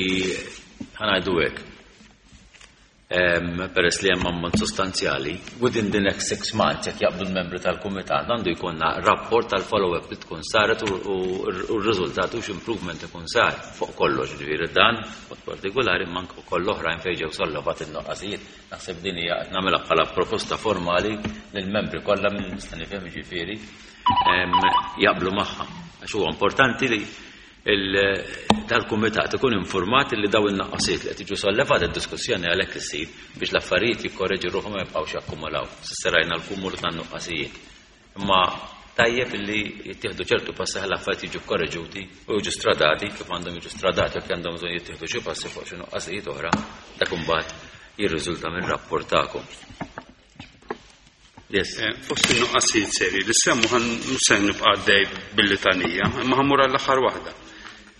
S1: ħanajdu hekk. Peress li hemm ammont sostanzjali, within the next six months, jekk jaqblu l-membri tal-kumitat, għandu jkollna rapport tal-follow-up li tkun saret u r-riżultat u x'improvement ikun sar fuq kollox, ġifieri dan, mod partikolari, imma anke wkoll oħrajn fejn ġew sollevati n-noqqasijiet. Naħseb din hija qed nagħmilha bħala proposta formali lill-membri kollha minn nista' nifhem ġifieri jaqblu magħha. Għax huwa importanti li dal-kumitat ikun informat li daw in-naqqasijiet li qed jiġu sollevati d-diskussjoni għalhekk issir biex l-affarijiet jikkorreġu ruħhom ma jibqgħux jakkumulaw. S'issa rajna l-kumulu tan-nuqqasijiet. Imma tajjeb li jittieħdu ċertu passi ħalli l-affarijiet jiġu korreġuti u jiġu stradati kif għandhom jiġu stradati jekk għandhom bżonn jittieħdu xi passi fuq xi nuqqasijiet oħra, dak imbagħad jirriżulta mir-rapport tagħkom. Yes.
S3: Fost in-nuqqasijiet serji li semmu ħan mhux se nibqa' għaddej bil-litanija, imma ħammur għall-aħħar waħda.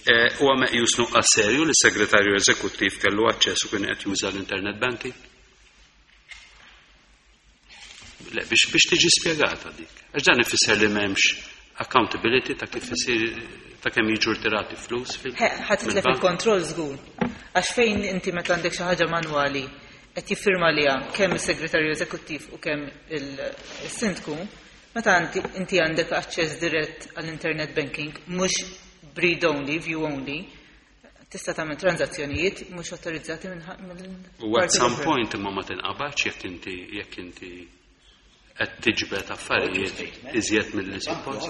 S3: Huwa meqjus nuqqas serju li s-segretarju eżekuttiv kellu aċċess u kien qed juża l-internet banking? Le, biex biex tiġi spjegata dik. Għax dan ifisser li m'hemmx accountability ta' kif isir ta' kemm jiġu rtirati flus fil.
S4: Ħa titlef il-kontroll żgur. Għax fejn inti meta għandek xi ħaġa manwali qed jiffirma liha kemm is-segretarju eżekuttiv u kemm il-sindku, meta inti għandek aċċess dirett għall-internet banking mhux read only, view only, tista' tagħmel transazzjonijiet mhux autorizzati minn.
S3: U at some point imma ma tinqabadx jekk inti jekk inti qed tiġbed affarijiet iżjed mill-li suppost.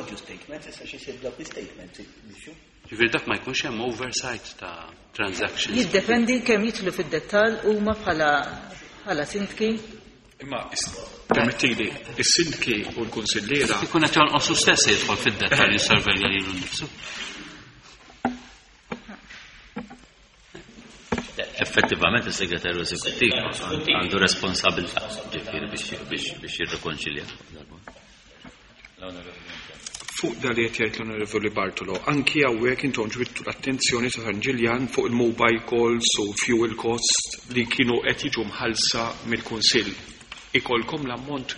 S3: Ġifieri dak ma jkunx hemm oversight ta' transactions.
S4: Jiddependi kemm jidħlu fid-dettall huma bħala bħala sindki.
S8: Imma permettili, is-sindki u l-kunsilliera
S3: ikun qed jonqosu stess jidħol fid-dettall jissorvelja lilu nnifsu.
S1: Effettivament is-segretarju eżekuttiv għandu responsabilità ġifieri biex biex jirrikonċilja.
S8: Fuq da li qed jgħid l-Onorevoli Bartolo, anki hawnhekk intom ġbidtu l-attenzjoni sa San Ġiljan fuq il-mobile calls u fuel costs li kienu qed jiġu mħallsa mill-Kunsill. Ikolkom l-ammont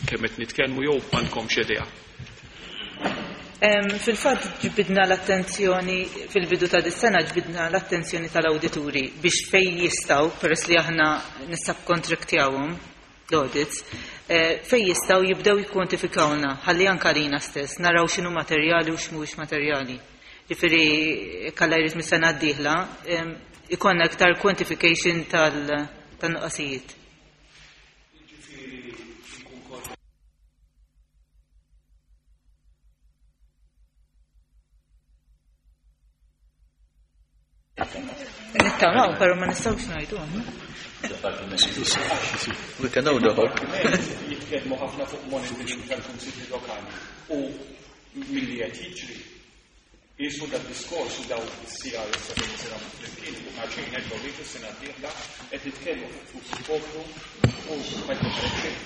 S8: kemm qed nitkellmu jew m'għandkomx idea?
S4: Fil-fatt ġbidna l-attenzjoni fil-bidu ta' dis-sena ġbidna l-attenzjoni tal-awdituri biex fejn jistgħu, peress li aħna nissubkontraktjawhom l-audits, fejn jistgħu jibdew jikkwantifikawna ħalli anke lina stess naraw x'inhu materjali u x'mhuwiex materjali. Ġifieri kalla jrid mis-sena d-dieħla ikollna iktar quantification tan-nuqqasijiet. Nittamaw, pero ma nistgħux ngħidu aħna.
S5: We can only hope.
S8: Jitkellmu ħafna fuq monitoring tal-kunsilli lokali u milli qed jiġri qisu dak diskors u daw is-C R S fejn isir flimkien u ħaġin nerġgħu ngħidu s-sena d-dieħla qed nitkellmu fuq flus il-poplu u ma jkun xejn.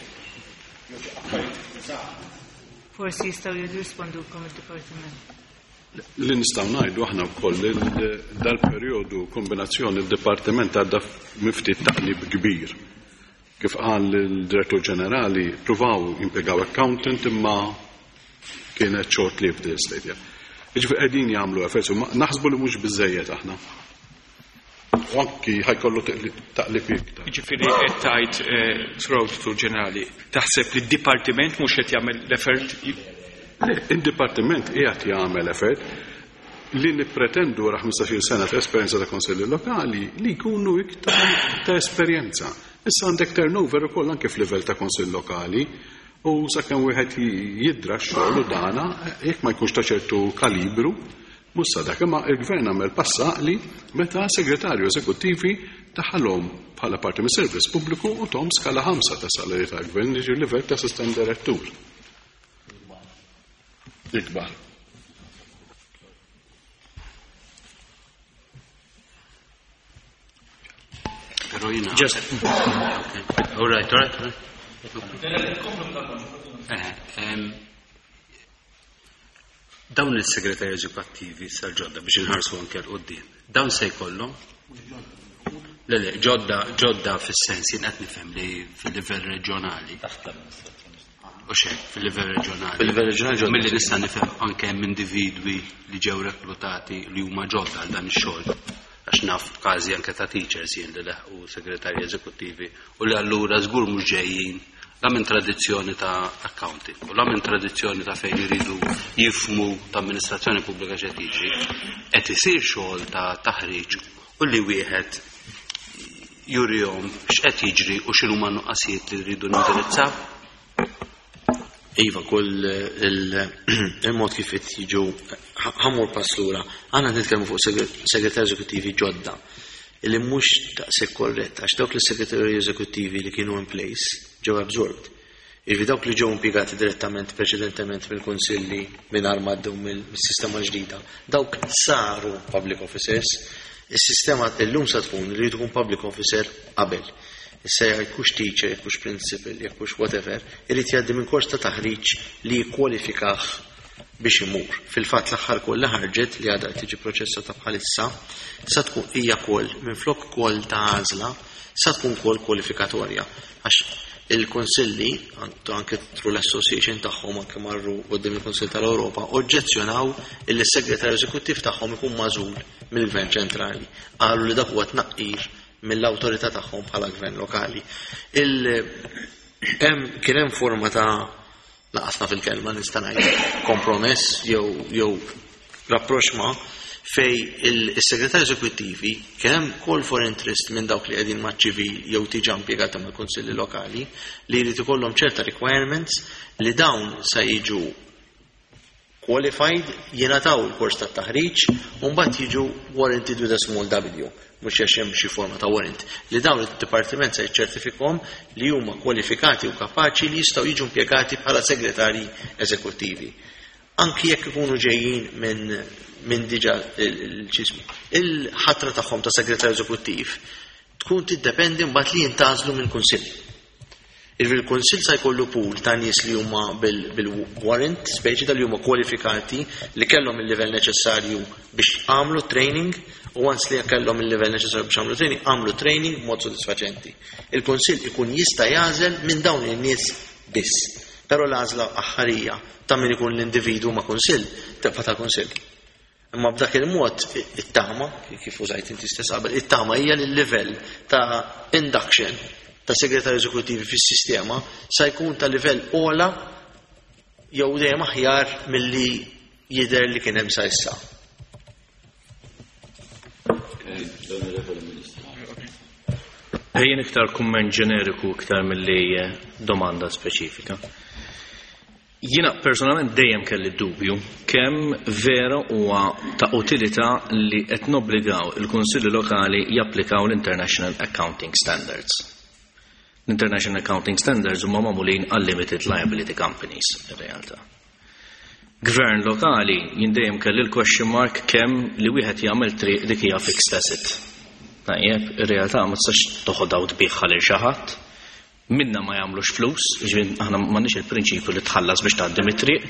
S8: Jew xi affarijiet żgħar.
S4: Forsi jistgħu jirrispondukom id-dipartiment.
S2: Li nistgħu ngħidu aħna wkoll li dal-perjodu kombinazzjoni d-dipartiment għadda miftit taqlib kbir. Kif qal il-Direttur Ġenerali, pruvaw jimpjegaw accountant imma kienet short lived l-istedja. Jiġifieri qegħdin jagħmlu efforts, naħsbu li mhux biżejjed aħna. U anki ħajkollu taqlib iktar.
S8: Jiġifieri qed tgħid Sur Awditur Ġenerali, taħseb li d-dipartiment mhux qed jagħmel l-effort?
S2: Le, il-dipartiment qiegħed jagħmel effort li nippretendu wara ħmistax-il sena ta' esperjenza ta' konsilli lokali li jkunu iktar ta' esperjenza. Issa għandek turnover ukoll anke f'livell ta' konsill lokali u sakemm wieħed jidra x-xogħol u dana jekk ma jkunx ta' ċertu kalibru mhux sa dak, imma il-gvern għamel passa li meta segretarju eżekuttivi taħalhom bħala parti mis-servizz pubbliku u tom skala ħamsa ta' salarju tal-gvern jiġi livell ta' assistent direttur. Ikbar.
S3: Però jiena.
S6: Just.
S3: All right, all right, all right. Dawn il-segretarji eżekuttivi sal-ġodda biex inħarsu anke l-qudiem. Dawn se jkollhom? Le, le, ġodda, ġodda fis-sens jien qed nifhem li fil-livell reġjonali. U xejn, fil-livell reġjonali.
S7: Fil-livell reġjonali ġodda.
S3: Milli nista' nifhem anke hemm individwi li ġew reklutati li huma ġodda għal dan ix-xogħol. Għax naf każi anke ta' teachers jien li leħqu segretarji eżekuttivi u li allura żgur mhux ġejjin la minn tradizzjoni ta' accounting u la minn tradizzjoni ta' fejn iridu jifhmu ta' amministrazzjoni pubblika x'qed jiġri, qed isir xogħol ta' taħriġ u li wieħed jurihom x'qed jiġri u x'inhuma n-nuqqasijiet li rridu nindirizzaw.
S7: Iva, kull il-mod kif qed jiġu, ħa mmur pass lura, għandna nitkellmu fuq segretarji eżekuttivi ġodda illi mhux daqshekk korrett, għax dawk li segretarji eżekuttivi li kienu in place ġew absorbed. Jiġifieri dawk li ġew impjegati direttament preċedentement mill-kunsilli mingħajr ma għaddew mill-sistema ġdida, dawk saru public officers. Is-sistema illum sa tkun li tkun public officer qabel. Issa jekk hux teacher, jekk hux principal, jekk hux whatever, irid jgħaddi minn kors ta' taħriġ li jikkwalifikah biex imur. Fil-fatt l-aħħar call li ħarġet li għadha tiġi proċessata bħalissa, sa tkun hija call minflok call ta' għażla, sa tkun call kwalifikatorja. Għax il-konsilli, anke through l-association tagħhom, anke marru quddiem il-Kunsill tal-Ewropa, oġġezzjonaw illi s-segretarju eżekuttiv tagħhom ikun magħżul mill-Gvern ċentrali. Qalu li dak huwa tnaqqir mill-awtorità tagħhom bħala gvern lokali. Kien hemm forma ta' laqasna fil-kelma nista' ngħid kompromess jew jew rapproċċ fejn il-segretarji eżekuttivi kien hemm call for interest minn dawk li qegħdin maċ-ċivil jew diġà impjegati mal-kunsilli lokali li jrid ikollhom ċerta requirements li dawn sa jiġu qualified, jingħataw il-kors ta' taħriġ u mbagħad jiġu warranted with a small W, mhux għax hemm xi forma ta' warrant, li dawn id-dipartiment se jiċċertifikhom li huma kwalifikati u kapaċi li jistgħu jiġu impjegati bħala segretarji eżekuttivi. Anki jekk ikunu ġejjin minn min diġà il-ċismu. Il-ħatra tagħhom ta' segretarju eżekuttiv tkun tiddependi mbagħad li jintgħażlu minn kunsill. Il-kunsill sa jkollu pool ta' nies li huma bil-warrant, speċi tal huma kwalifikati li kellhom il-livell neċessarju biex għamlu training, u once li kellhom il-livell neċessarju biex għamlu training, għamlu training b'mod sodisfaċenti. Il-kunsill ikun jista' jagħżel minn dawn in-nies biss. Però l-għażla aħħarija ta' min ikun l-individu ma' kunsill tibqa' tal-kunsill. Imma b'dak il-mod it-tama, kif użajt inti stess qabel, it-tama hija li l-livell ta' induction ta' segretarju eżekuttivi fis-sistema sa jkun ta' livell ogħla jew dejjem aħjar milli jidher li kien hemm sa issa.
S1: L-Onorevoli Ministru.
S6: Jien iktar kumment ġeneriku iktar milli domanda speċifika. Jiena personalment dejjem kelli dubju kemm vera huwa ta' utilità li qed nobbligaw il-Kunsilli Lokali japplikaw l-International Accounting Standards. L-International Accounting Standards huma magħmulin għal limited liability companies in realtà. Gvern lokali jien dejjem kelli l-question mark kemm li wieħed jagħmel triq dik hija fixed asset. Tajjeb, ir-realtà ma tistax toħodha u tbigħha lil xi ħadd. Minna ma jagħmlux flus, jiġifieri aħna m'għandniex il-prinċipju li tħallas biex tgħaddi mit-triq,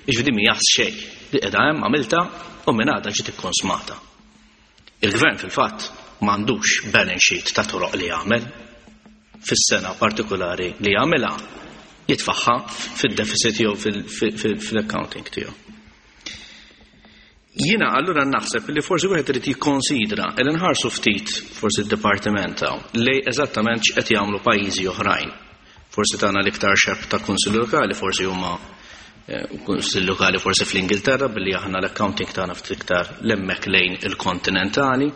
S6: jiġifieri mhija xejn. Li qiegħda hemm għamilta u minn għadha ġiet ikkonsmata. Il-gvern fil-fatt m'għandux balance sheet ta' toroq li jagħmel fis-sena partikolari li jagħmilha, jitfaħħa fid-deficit jew fil-accounting tiegħu. Jiena allura naħseb li forsi wieħed irid jikkonsidra li nħarsu ftit forsi d-dipartiment hawn lej eżattament x'qed jagħmlu pajjiżi oħrajn. Forsi tagħna l-iktar xebh ta' kunsill lokali forsi huma eh, kunsill lokali forsi fl-Ingilterra, billi aħna l-accounting tagħna ftit iktar lemmek lejn il-kontinentali,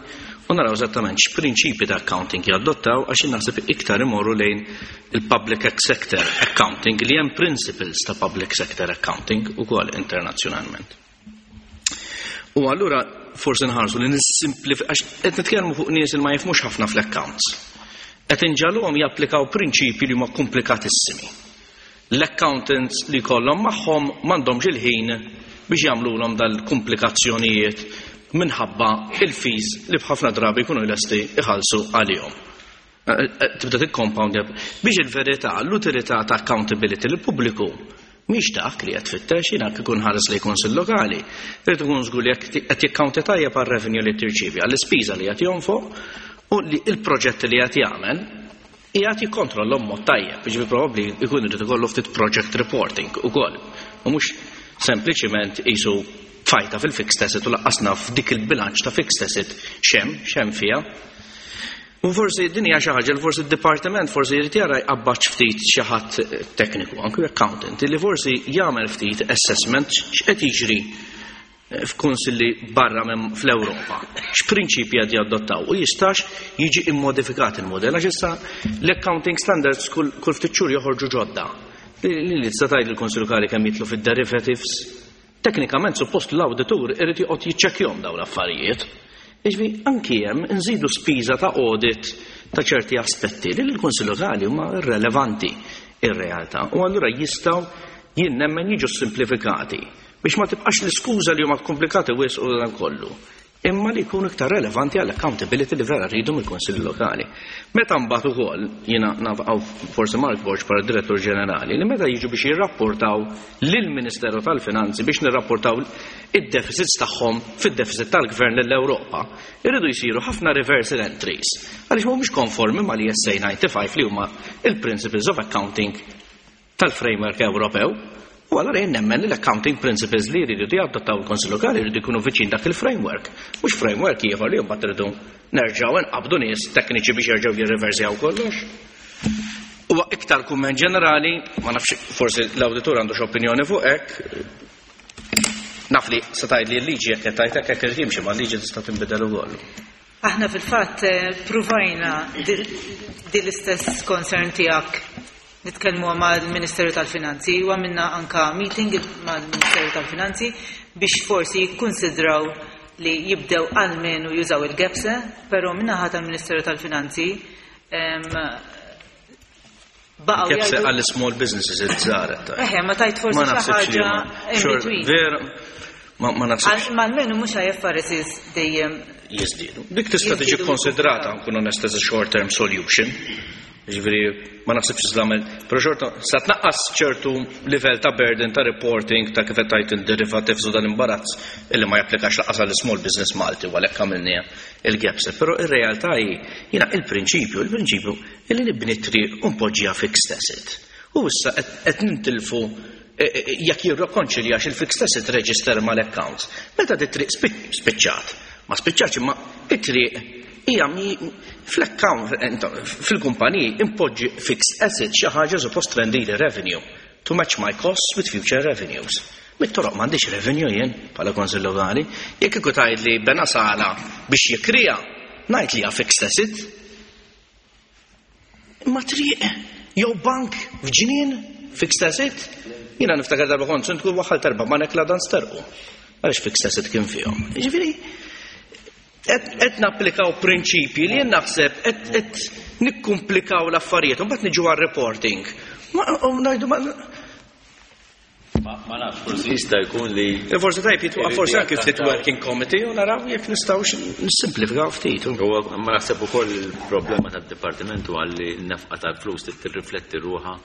S6: u naraw eżattament x'prinċipi ta' accounting jadottaw, għax naħseb iktar imorru lejn il-public sector accounting, li hemm principles ta' public sector accounting ukoll internazzjonalment. U allura forsi nħarsu li nissimplifikaw, għax qed nitkellmu fuq nies li ma jifhmux ħafna fl-accounts. Qed inġagħluhom japplikaw prinċipi li huma komplikatissimi. L-accountants li kollhom magħhom m'għandhomx il-ħin biex jagħmluhom dal-komplikazzjonijiet minħabba il-fees li b'ħafna drabi jkunu lesti iħallsu għalihom. Tibda tikkompound biex il-verità, l-utilità ta' accountability l-pubbliku mhix dak li qed tfittex. Jiena kieku nħares lejn kunsill lokali. Irid ikun żgur li qed jikkaunti tajjeb għar-revenue li tirċievi, għall-ispiża li qed jonfoq u li il-proġett li qed jagħmel qiegħed jikkontrollhom mod tajjeb, jiġifieri probabbli jkun irid ikollu ftit project reporting ukoll. U mhux sempliċiment qisu tfajta fil-fixed asset u lanqas naf dik il-bilanċ ta' fixed asset x'hemm, x'hemm fiha. U forsi din hija xi ħaġa li forsi d-dipartiment forsi jrid jara jqabbaġ ftit xi ħadd tekniku, anke accountant, li forsi jagħmel ftit assessment x'qed jiġri f'kunsilli barra minn fl-Ewropa. X'prinċipji qed jadottaw u jistax jiġi immodifikat il-modell għax issa l-accounting standards kull, kull ftit xhur joħorġu ġodda. Li li tista' tgħid il-Kunsill Lokali kemm jidħlu fid-derivatives. Teknikament suppost l-awditur irid joqgħod jiċċekkjahom dawn l-affarijiet. Jiġifieri anki hemm nżidu spiża ta' audit ta' ċerti aspetti li l-Kunsill Lokali huma irrelevanti ir-realtà. U allura jistgħu jien nemmen jiġu simplifikati biex ma tibqax l-iskuża li huma komplikati wisq u dan kollu. Imma li jkunu iktar relevanti għall accountability li vera rridu mill-Kunsilli Lokali. Meta mbagħad ukoll jiena naf forsi Mark Borg bħala Direttur Ġenerali li meta jiġu biex jirrapportaw lill-Ministeru tal-Finanzi biex nirrapportaw id-deficits tagħhom fid-deficit tal-Gvern lill-Ewropa, irridu jsiru ħafna reversal entries għaliex mhumiex konformi mal-I S A ninety-five li huma il-Principles of Accounting tal-Framework Ewropew. U allura jien nemmen li l-accounting principles li jridu jadottaw il-Konsil Lokali jridu jkunu viċin dak il-framework. Mhux framework ieħor li mbagħad irridu nerġgħu nqabdu nies tekniċi biex jerġgħu jirriversjaw kollox. Huwa iktar kumment ġenerali, ma nafx, forsi l-awditur għandu x'opinjoni fuq hekk. Naf li se tgħid li l-liġi jekk qed tgħid hekk hekk irid jimxi, ma l-liġi tista' tinbidel ukoll.
S4: Aħna fil-fatt eh, pruvajna di l-istess concern tiegħek nitkellmu mal-Ministeru tal-Finanzi u għamilna anka meeting mal-Ministeru tal-Finanzi biex forsi jikkonsidraw li jibdew almenu jużaw il-GAPSE, però min-naħa tal-Ministeru tal-Finanzi
S6: baqgħu GAPSE għall small businesses iż-żgħar.
S4: Eħe, ma tajt forsi xi ħaġa in between.
S6: Vera, ma naħsibx.
S4: Ma almenu mhux I F R S dejjem
S6: jiżdiedu. Dik tista' tiġi konsidrata, nkun onest, as a short term solution. Ġifieri, ma naħsibx iżlamel, però xorta, sa tnaqqas ċertu livell ta' burden ta' reporting ta' kif qed tgħid il-derivatives u dan imbarazz illi ma japplikax lanqas għall small business Malti u għalhekk għamilniha il-GAPSE. Però ir-realtà hi jiena il-prinċipju, il-prinċipju illi nibni triq u npoġġiha fixed asset. U issa qed nintilfu e, e, jekk jirrikonċiljax il-fixed asset register mal-accounts. Meta dit-triq spiċċat, ma spiċċatx, imma it-triq hija fl-account fil-kumpaniji impoġġi fixed asset xi ħaġa suppost trendili revenue to match my costs with future revenues. Mit-toroq m'għandix revenue jien bħala Konsil Lokali. Jekk iku tgħid li bena sala biex jikrija, ngħid li hija fixed asset. Imma triq jew bank f'ġnien fixed asset, jiena niftakar darba kont tkun waħħal terba' ma nekla dan sterqu. Għaliex fixed asset kien fihom. Jiġifieri qed napplikaw prinċipji li jien naħseb qed nikkumplikaw l-affarijiet, u mbagħad niġu għar-reporting. U ngħidu ma
S1: Ma nafx, forsi jista' jkun li
S6: Forsi tajb jitwaqqaf forsi anke ftit working committee u naraw jekk nistgħux nissimplifikaw ftit.
S1: Ma naħseb ukoll il-problema tad-dipartiment huwa li n-nefqa tal-flus tirrifletti ruħha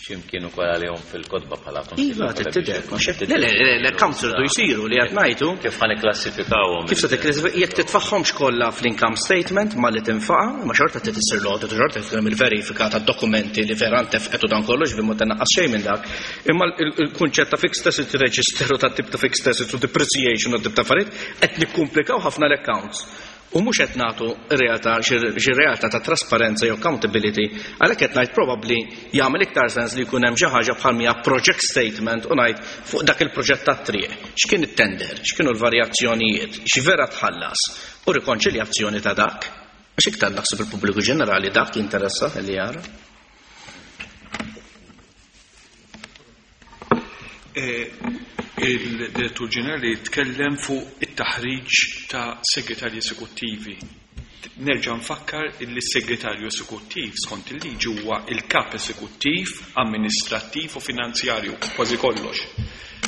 S1: x'imkien ukoll għalihom fil-kotba bħala
S6: Iva, tidher. Le, le, l-accounts irdu jsiru li qed ngħidu.
S1: Kif ħa nikklassifikawhom?
S6: Kif se tikklassifika jekk titfaħħomx kollha fl-income statement ma li tinfaqa, ma xorta trid issir l-audit u xorta trid il-verifika tad-dokumenti li vera ntefqet u dan kollox bi ma tnaqqas xejn minn dak. Imma il-kunċett ta' fixed asset register u ta' tip ta' fixed asset u depreciation u tip ta' affarijiet qed nikkumplikaw ħafna l-accounts. U mhux qed nagħtu realtà xi realtà ta' trasparenza jew accountability, għalhekk qed ngħid probabbli jagħmel iktar sens li jkun hemm xi ħaġa bħal mija project statement u ngħid fuq dak il-proġett tat-triq. X'kien it-tender, x'kienu l-varjazzjonijiet, x'vera tħallas u rikonċiljazzjoni ta' dak. Għax iktar naħseb il-pubbliku ġenerali dak jinteressa li jara.
S8: Eh, il-Direttur Ġenerali tkellem fuq it-taħriġ ta' segretarji esekuttivi. Nerġa' nfakkar li s-segretarju esekuttiv skont il-liġi huwa il-kap esekuttiv, amministrattiv u finanzjarju, kważi kollox.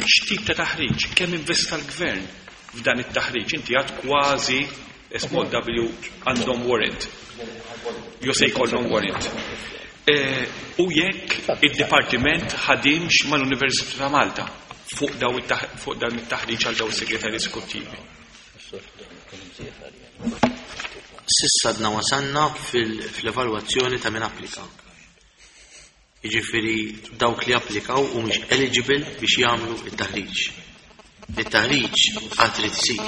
S8: X'tip ta' taħriġ? Kemm investa l-gvern f'dan it-taħriġ? Inti għad kważi small W għandhom warrant. Jo se jkollhom warrant. Eh, u jekk id-dipartiment ħadimx mal-Università ta' Malta fuq daw fuq dan it-taħriġ għal daw is-segretarji esekuttivi.
S7: S'issa għadna wasanna fil-evalwazzjoni ta' min applika. Jiġifieri dawk li applikaw u mhux eligible biex jagħmlu it-taħriġ. It-taħriġ għad trid isir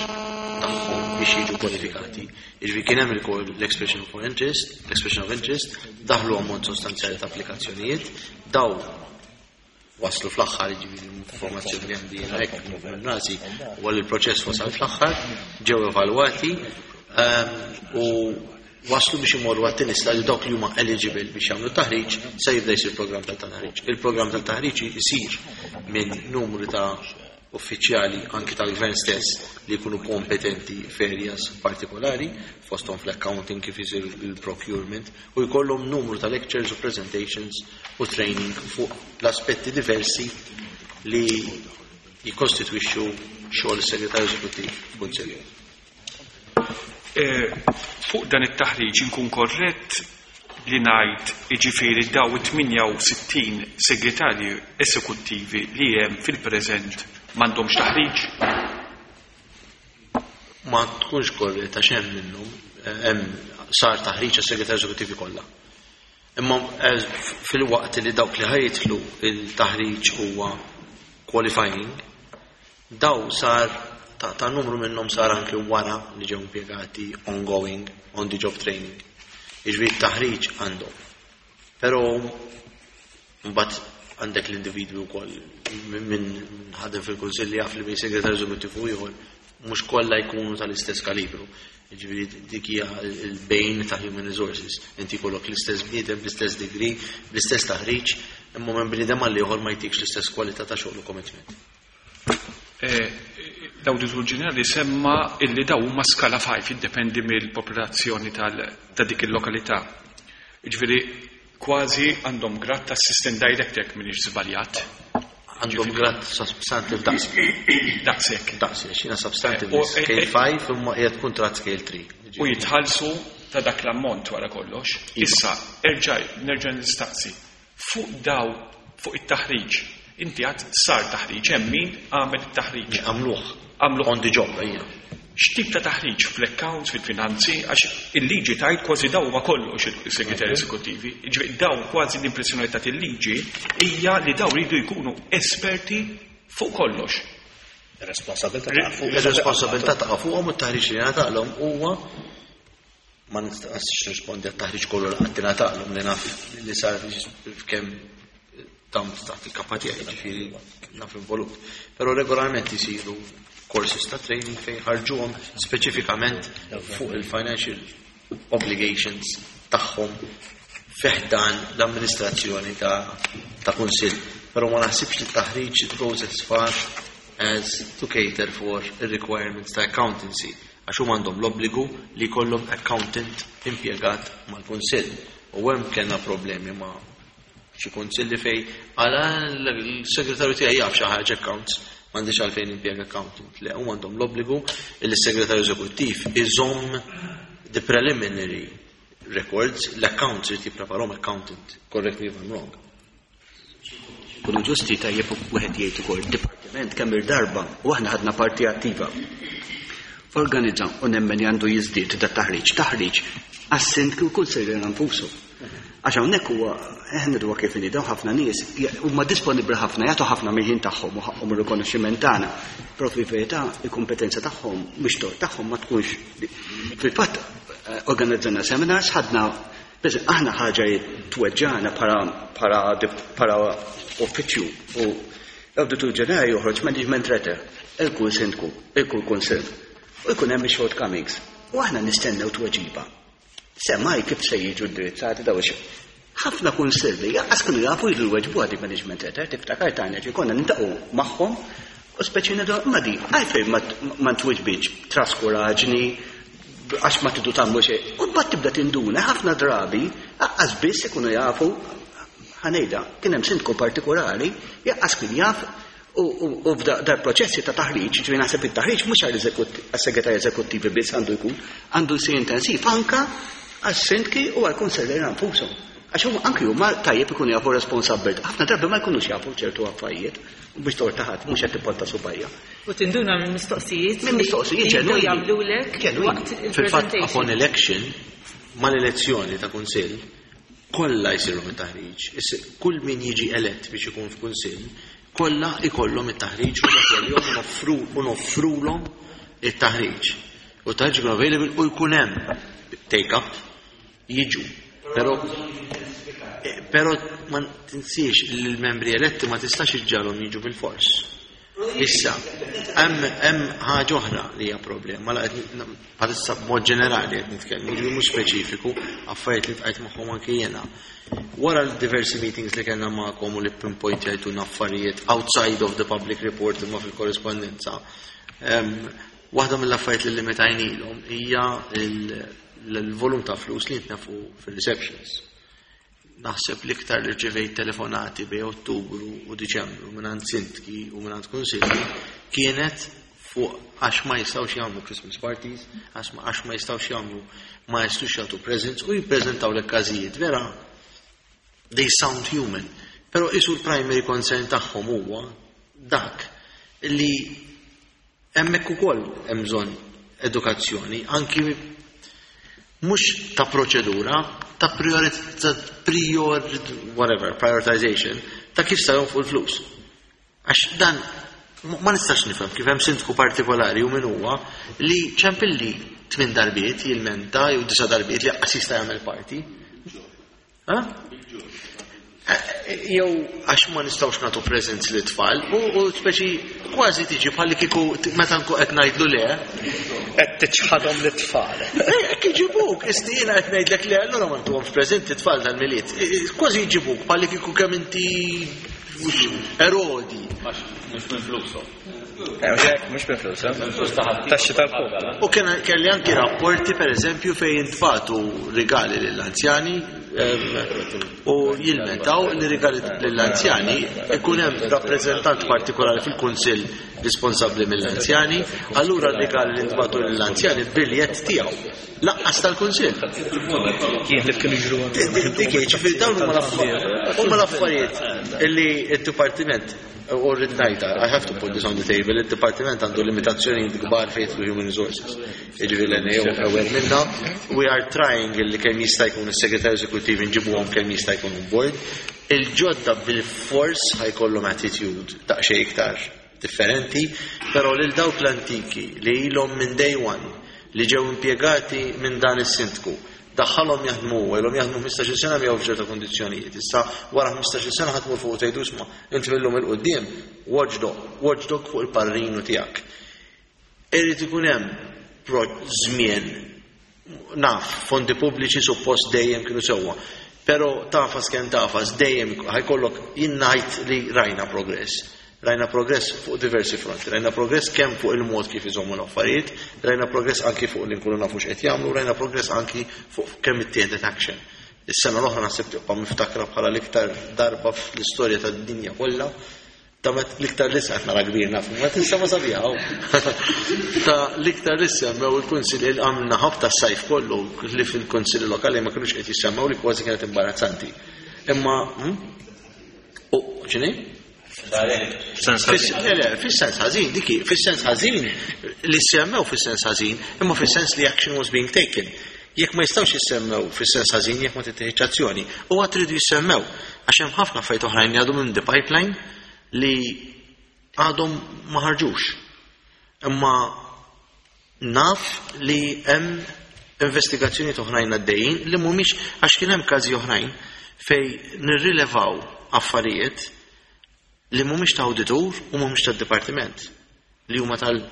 S7: tagħhom biex jiġu kwalifikati. Jiġifieri kien hemm ukoll l-expression of interest, l-expression of interest, daħlu ammont sostanzjali ta' applikazzjonijiet, daw waslu fl-aħħar, jiġifieri l-informazzjoni li għandi jiena hekk minn rasi, u għal il-proċess wasal fl-aħħar, ġew evalwati ehm, u waslu biex imorru għat-tieni li dawk li huma eligible biex jagħmlu taħriġ se jibda jsir programm tal-taħriġ. Il-programm tal-taħriġ isir minn numru ta' uffiċjali anki tal-gvern stess li jkunu kompetenti f'areas partikolari, fosthom fl-accounting, kif isir il-procurement, u jkollhom numru ta' lectures u presentations u training fuq l-aspetti diversi li jikostitwixxu xogħol is-segretarju eżekuttiv f'kunsill.
S8: Eh, Fuq dan it-taħriġ, inkun korrett li ngħid, jiġifieri daw it-tmienja u sittin segretarji esekuttivi li hemm fil-preżent m'għandhomx taħriġ?
S7: Ma tkunx korretta għax hemm minnhom eh, hemm sar taħriġ għas-segretarju eżekuttivi kollha. Imma eh, fil-waqt li dawk li ħa jidħlu il-taħriġ huwa qualifying, daw sar ta', ta numru minnhom sar anke wara li ġew impjegati, ongoing, on the job training. Jiġifieri taħriġ għandhom. Però mbagħad għandek l-individwi wkoll minn ħadem fil-kunsilli jaf li bejn segretarju eżekuttiv u ieħor mhux kollha jkunu tal-istess kalibru. Jiġifieri dik hija il-bejn ta' human resources. Inti jkollok l-istess bniedem, bl-istess degree, bl-istess taħriġ, imma minn bniedem għal ieħor ma jtikx l-istess kwalità ta' xogħol u commitment.
S8: Eh, L-Awditur Ġenerali semma illi daw huma skala ħamsa, jiddependi mill-popolazzjoni tal- ta' dik il-lokalità. Jiġifieri kważi għandhom grad ta' assistant director, jekk m'iniex żbaljat.
S7: Għandhom grad substantive daqs.
S8: Daqshekk.
S7: Daqs, xina substantive
S8: Eh, u-
S7: scale five imma qiegħed kuntratt scale three.
S8: U jitħallsu ta' dak l-ammont wara kollox. Issa, erġa' nerġa' nistaqsi. Fuq daw, fuq it-taħriġ, inti għad sar taħriġ, hemm min għamel it-taħriġ.
S7: Għamluh.
S8: Għamluh.
S7: On the job, ejja.
S8: X'tip ta' taħriġ, fl-accounts, fil-finanzi, għax il-liġi tajt kważi daw ma kollox il-segretari esekuttivi. Ġifieri daw kważi l-impressjoni ta' il-liġi hija li daw ridu jkunu esperti fuq kollox.
S6: Responsabilità ta' fuq.
S7: Ir-responsabilità ta' fuqhom u t-taħriġ li ngħataqlhom huwa, ma nistax nirrispondi għat-taħriġ kollu li qatt ingħataqlhom, li naf li sar kemm tam taħt il-kappa tiegħi, ġifieri naf involut. Però regolarment isiru courses ta' training fejn ħarġuhom speċifikament fuq il-financial obligations tagħhom fi ħdan l-amministrazzjoni ta' ta' kunsill. Però ma naħsibx li t-taħriġ it goes as far as to cater for the requirements ta' accountancy, għax huma għandhom l-obbligu li jkollhom accountant impjegat mal-kunsill. U hemm kellna problemi ma' xi kunsilli fej għala l-segretarju tiegħi jaf xi ħaġa accounts, m'għandix għalfejn impjega accountant. Le, huma għandhom l-obbligu li s-segretarju eżekuttiv iżomm the preliminary records, l-accounts irid jippreparahom accountant. Correct me if I'm wrong.
S5: Kunu ġusti, tajjeb wieħed jgħid ukoll dipartiment kemm il-darba u aħna ħadna parti attiva. Organizza u nemmen li għandu jiżdied da taħriġ, taħriġ għas-sindku u kunsilliera nfusu. Għax hawnhekk huwa eħna dwa kif inhi, dawn ħafna nies huma disponibbli ħafna, jagħtu ħafna mill-ħin tagħhom u ħaqhom ir-rikonoxximent tagħna. Però fil-verità il-kompetenza tagħhom mhux tort tagħhom ma tkunx. Fil-fatt eh, organizzajna seminars, ħadna. Biss aħna ħaġa li tweġġana bħala bħala bħala uffiċċju u l-Awditur Ġenerali joħroġ management letter il-kull sindku, il-kull kunsill. U jkun hemm shortcomings. U aħna nistennew tweġiba. Semmaj kif se jiġu indirizzati daw ix ħafna kunsilli jaqas kienu jafu jiġu jweġbu għadi management letter, tiftakar tagħna ġi konna nintaqgħu magħhom u speċi ngħidu ma di għalfejn ma ma tweġbitx, traskuraġni, għax ma tidu tagħmlu xejn. U mbagħad tibda tinduna ħafna drabi aqqas biss ikunu jafu. Ħa ngħidha, kien hemm sindku partikolari jaqqas kien jaf u u- u f'dar proċessi ta' taħriġ, ġifieri naħseb it-taħriġ mhux għall-segretarji eżekuttivi biss għandu jkun, għandu jsir intensiv anka għas-sindki u għall-kunsilliera nfushom. Għax huma anki huma tajjeb ikunu jafu responsabbiltà. Ħafna drabi ma jkunux jafu ċertu affarijiet u biex torta ħadd mhux qed tipponta subgħajha.
S4: U tinduna minn mistoqsijiet
S5: Minn mistoqsijiet
S4: li jibdew
S5: ġenwini.
S4: jagħmlulek
S5: Ġenwini.
S4: waqt
S7: Fil-fatt, upon
S4: il-presentation.
S7: election, mal-elezzjoni ta' kunsill, kollha jsiru mit taħriġ. Issa, kull min jiġi elett biex ikun f'kunsill, Kollha ikollhom it-taħriġ u dak jom u noffrulhom it-taħriġ. U t-taħriġ ikun available u jkun hemm take up jiġu. Però però ma tinsiex li l-membri eletti ma tistax iġġagħalhom jiġu bil-fors. Issa, hemm ħaġa oħra li hija problema, la bħalissa b'mod ġenerali qed nitkellmu, ġifieri mhux speċifiku, affarijiet li tqajt magħhom anke jiena. Wara l-diversi meetings li kellna magħkom u li pinpointjajtuna affarijiet outside of the public report imma fil-korrespondenza, waħda mill-affarijiet li limitajnilhom hija l-volum ta' flus li jintnefqu fil-receptions. Naħseb l-iktar li rċevejt telefonati bejn Ottubru u Diċembru minn sindki u minn kunsilli kienet fuq għax ma jistgħux jagħmlu Christmas parties, għax ma jistgħux jagħmlu, ma jistgħux jagħtu presents u jippreżentaw l-każijiet vera they sound human. Però isu l-primary concern tagħhom huwa dak li hemmhekk ukoll hemm bżonn edukazzjoni, anki mhux ta' proċedura, ta' prior, whatever, prioritization, ta' kif sa fuq il-flus. Għax dan ma nistax nifhem kif hemm sindku partikolari u min huwa li ċempilli tmien darbiet jilmenta jew disa' darbiet li qas jista' jagħmel party. Jew għax ma nistgħux nagħtu presents lit tfal u, u speċi kważi tiġi bħalli kieku meta nkun qed ngħidlu le.
S6: Qed tiċħadhom lit-tfal.
S7: Hekk iġibuk, isti jiena qed ngħidlek le, allura ma ntuhomx preżenti tfal tal-Milied. Kważi jġibuk bħalli kieku kemm inti erodi.
S1: Mhux minn flushom.
S6: Mhux minn flushom. Taxxi tal-poplu.
S7: U kelli anki rapporti per eżempju fejn jintbagħtu rigali lill-anzjani u jilmentaw li rigali lill-anzjani ikun hemm rappreżentant partikolari fil-kunsill responsabbli mill-anzjani, allura r-rigali li ntbagħtu lill-anzjani biljett tiegħu. Laqqas tal-kunsill.
S6: Kien li kienu jiġru.
S7: Dik ġifieri dawn huma l-affarijiet illi d-dipartiment u rrid ngħidha, I have to put this on the table, il-dipartiment għandu limitazzjonijiet kbar fejn jidħlu human resources. Jiġifieri l-N A O aware minna. We are trying illi kemm jista' jkun is-segretarju eżekuttiv inġibuhom kemm jista' jkun on board. Il-ġodda bil-fors ħa jkollhom attitude daqsxejn iktar differenti, però lil dawk l-antiki li ilhom minn day one li ġew impjegati minn dan is-sindku, daħħalhom jaħdmu, ilhom jaħdmu ħmistax-il sena miegħu f'ċerta kondizzjonijiet. Issa wara ħmistax-il sena ħadd mur fuq tgħidu isma' inti millum 'il quddiem watchdog, watchdog fuq il-parrinu tiegħek. Irid ikun hemm żmien, naf, fondi pubbliċi suppost dejjem kienu sewwa, però tafas kemm tafas dejjem ħa jkollok, jien ngħid li rajna progress. Rajna progress fuq diversi fronti, rajna progress kemm fuq il-mod kif iżommu l-affarijiet, rajna progress anki fuq li nkunu nafu x'qed jagħmlu, rajna progress anki fuq kemm ittieħdet action. Is-sena l-oħra naħseb tibqa' miftakra bħala l-iktar darba fl-istorja tad-dinja kollha ta' met l-iktar li qed nara kbir naf, ma tinsa ma sabiħaw. Ta' l-iktar li semmew il-kunsilli li għamilna ħabta s-sajf kollu li fil-kunsilli lokali ma kinux qed jissemmew li kważi kienet imbarazzanti. Imma, hm? U, x'inhi?
S6: Sens ħażin.
S7: Le, le, fis-sens ħażin, diki, fis-sens ħażin li semmew fis-sens ħażin, imma fis-sens li action was being taken. Jekk ma jistgħux jissemmew fis-sens ħażin jekk ma tittieħedx azzjoni, u għad tridu jissemmew għax hemm ħafna affarijiet oħrajn li għadhom in the pipeline li għadhom ma ħarġux. Imma naf li hemm investigazzjoni oħrajn għaddejjin li mhumiex, għax kien hemm każi oħrajn fej nirrilevaw affarijiet li mhumiex ta' awditur u mhumiex tad-dipartiment, li huma tal-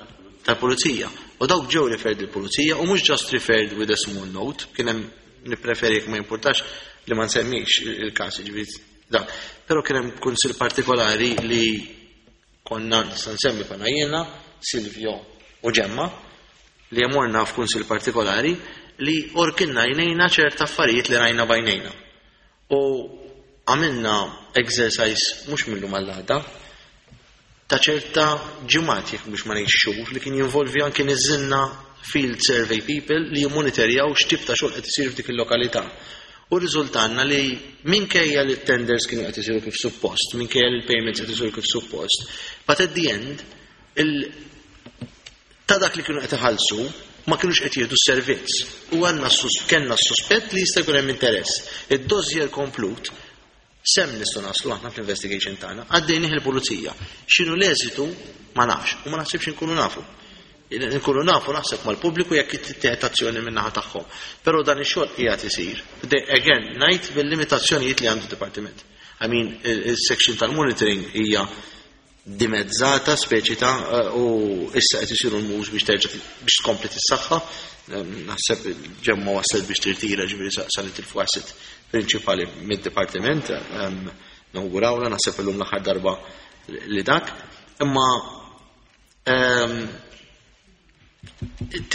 S7: tal-pulizija. U dawk ġew referred il-pulizija u mhux just referred with a small note, kien hemm, nippreferi jekk ma importax li ma nsemmix il-każ, ġifieri da. Però kien hemm kunsill partikolari li konna nista' nsemmi, konna jiena, Silvio u Ġemma, li morna f'kunsill partikolari li orkinna għajnejna ċerta affarijiet li rajna b'għajnejna. U għamilna exercise mhux mill-lum għall-għada, ta' ċerta ġimgħat jekk biex ma ngħidx xhur, li kien jinvolvi anke niżilna field survey people li jimmonitorjaw x'tip ta' xogħol qed isir f'dik il-lokalità. U riżultanna li minkejja li t-tenders kienu qed isiru kif suppost, minkejja li l-payments qed isiru kif suppost, but at the end il ta' dak li kienu qed iħallsu ma kienux qed jieħdu s-servizz. U għandna sus-, kellna s-suspett li jista' jkun hemm interess. Id-dossier komplut S'hemm nistgħu naslu aħna fl-investigation tagħna, għaddejnih il-pulizija. X'inhu l-eżitu ma nafx u ma naħsibx inkunu nafu. Nkunu nafu naħseb mal-pubbliku jekk tittieħed azzjoni min-naħa tagħhom. Però dan ix-xogħol qiegħed isir. Again, ngħid bil-limitazzjonijiet li għandu dipartiment. I mean, il-section tal-monitoring hija dimezzata speċi ta' u issa qed isiru l-moves biex terġa' biex tkompli tissaħħa. Naħseb ġemma waslet biex tirtira, ġifieri sa nitilfu asset prinċipali mid-dipartiment. Nawgurawla, naħseb illum l-aħħar darba li dak. Imma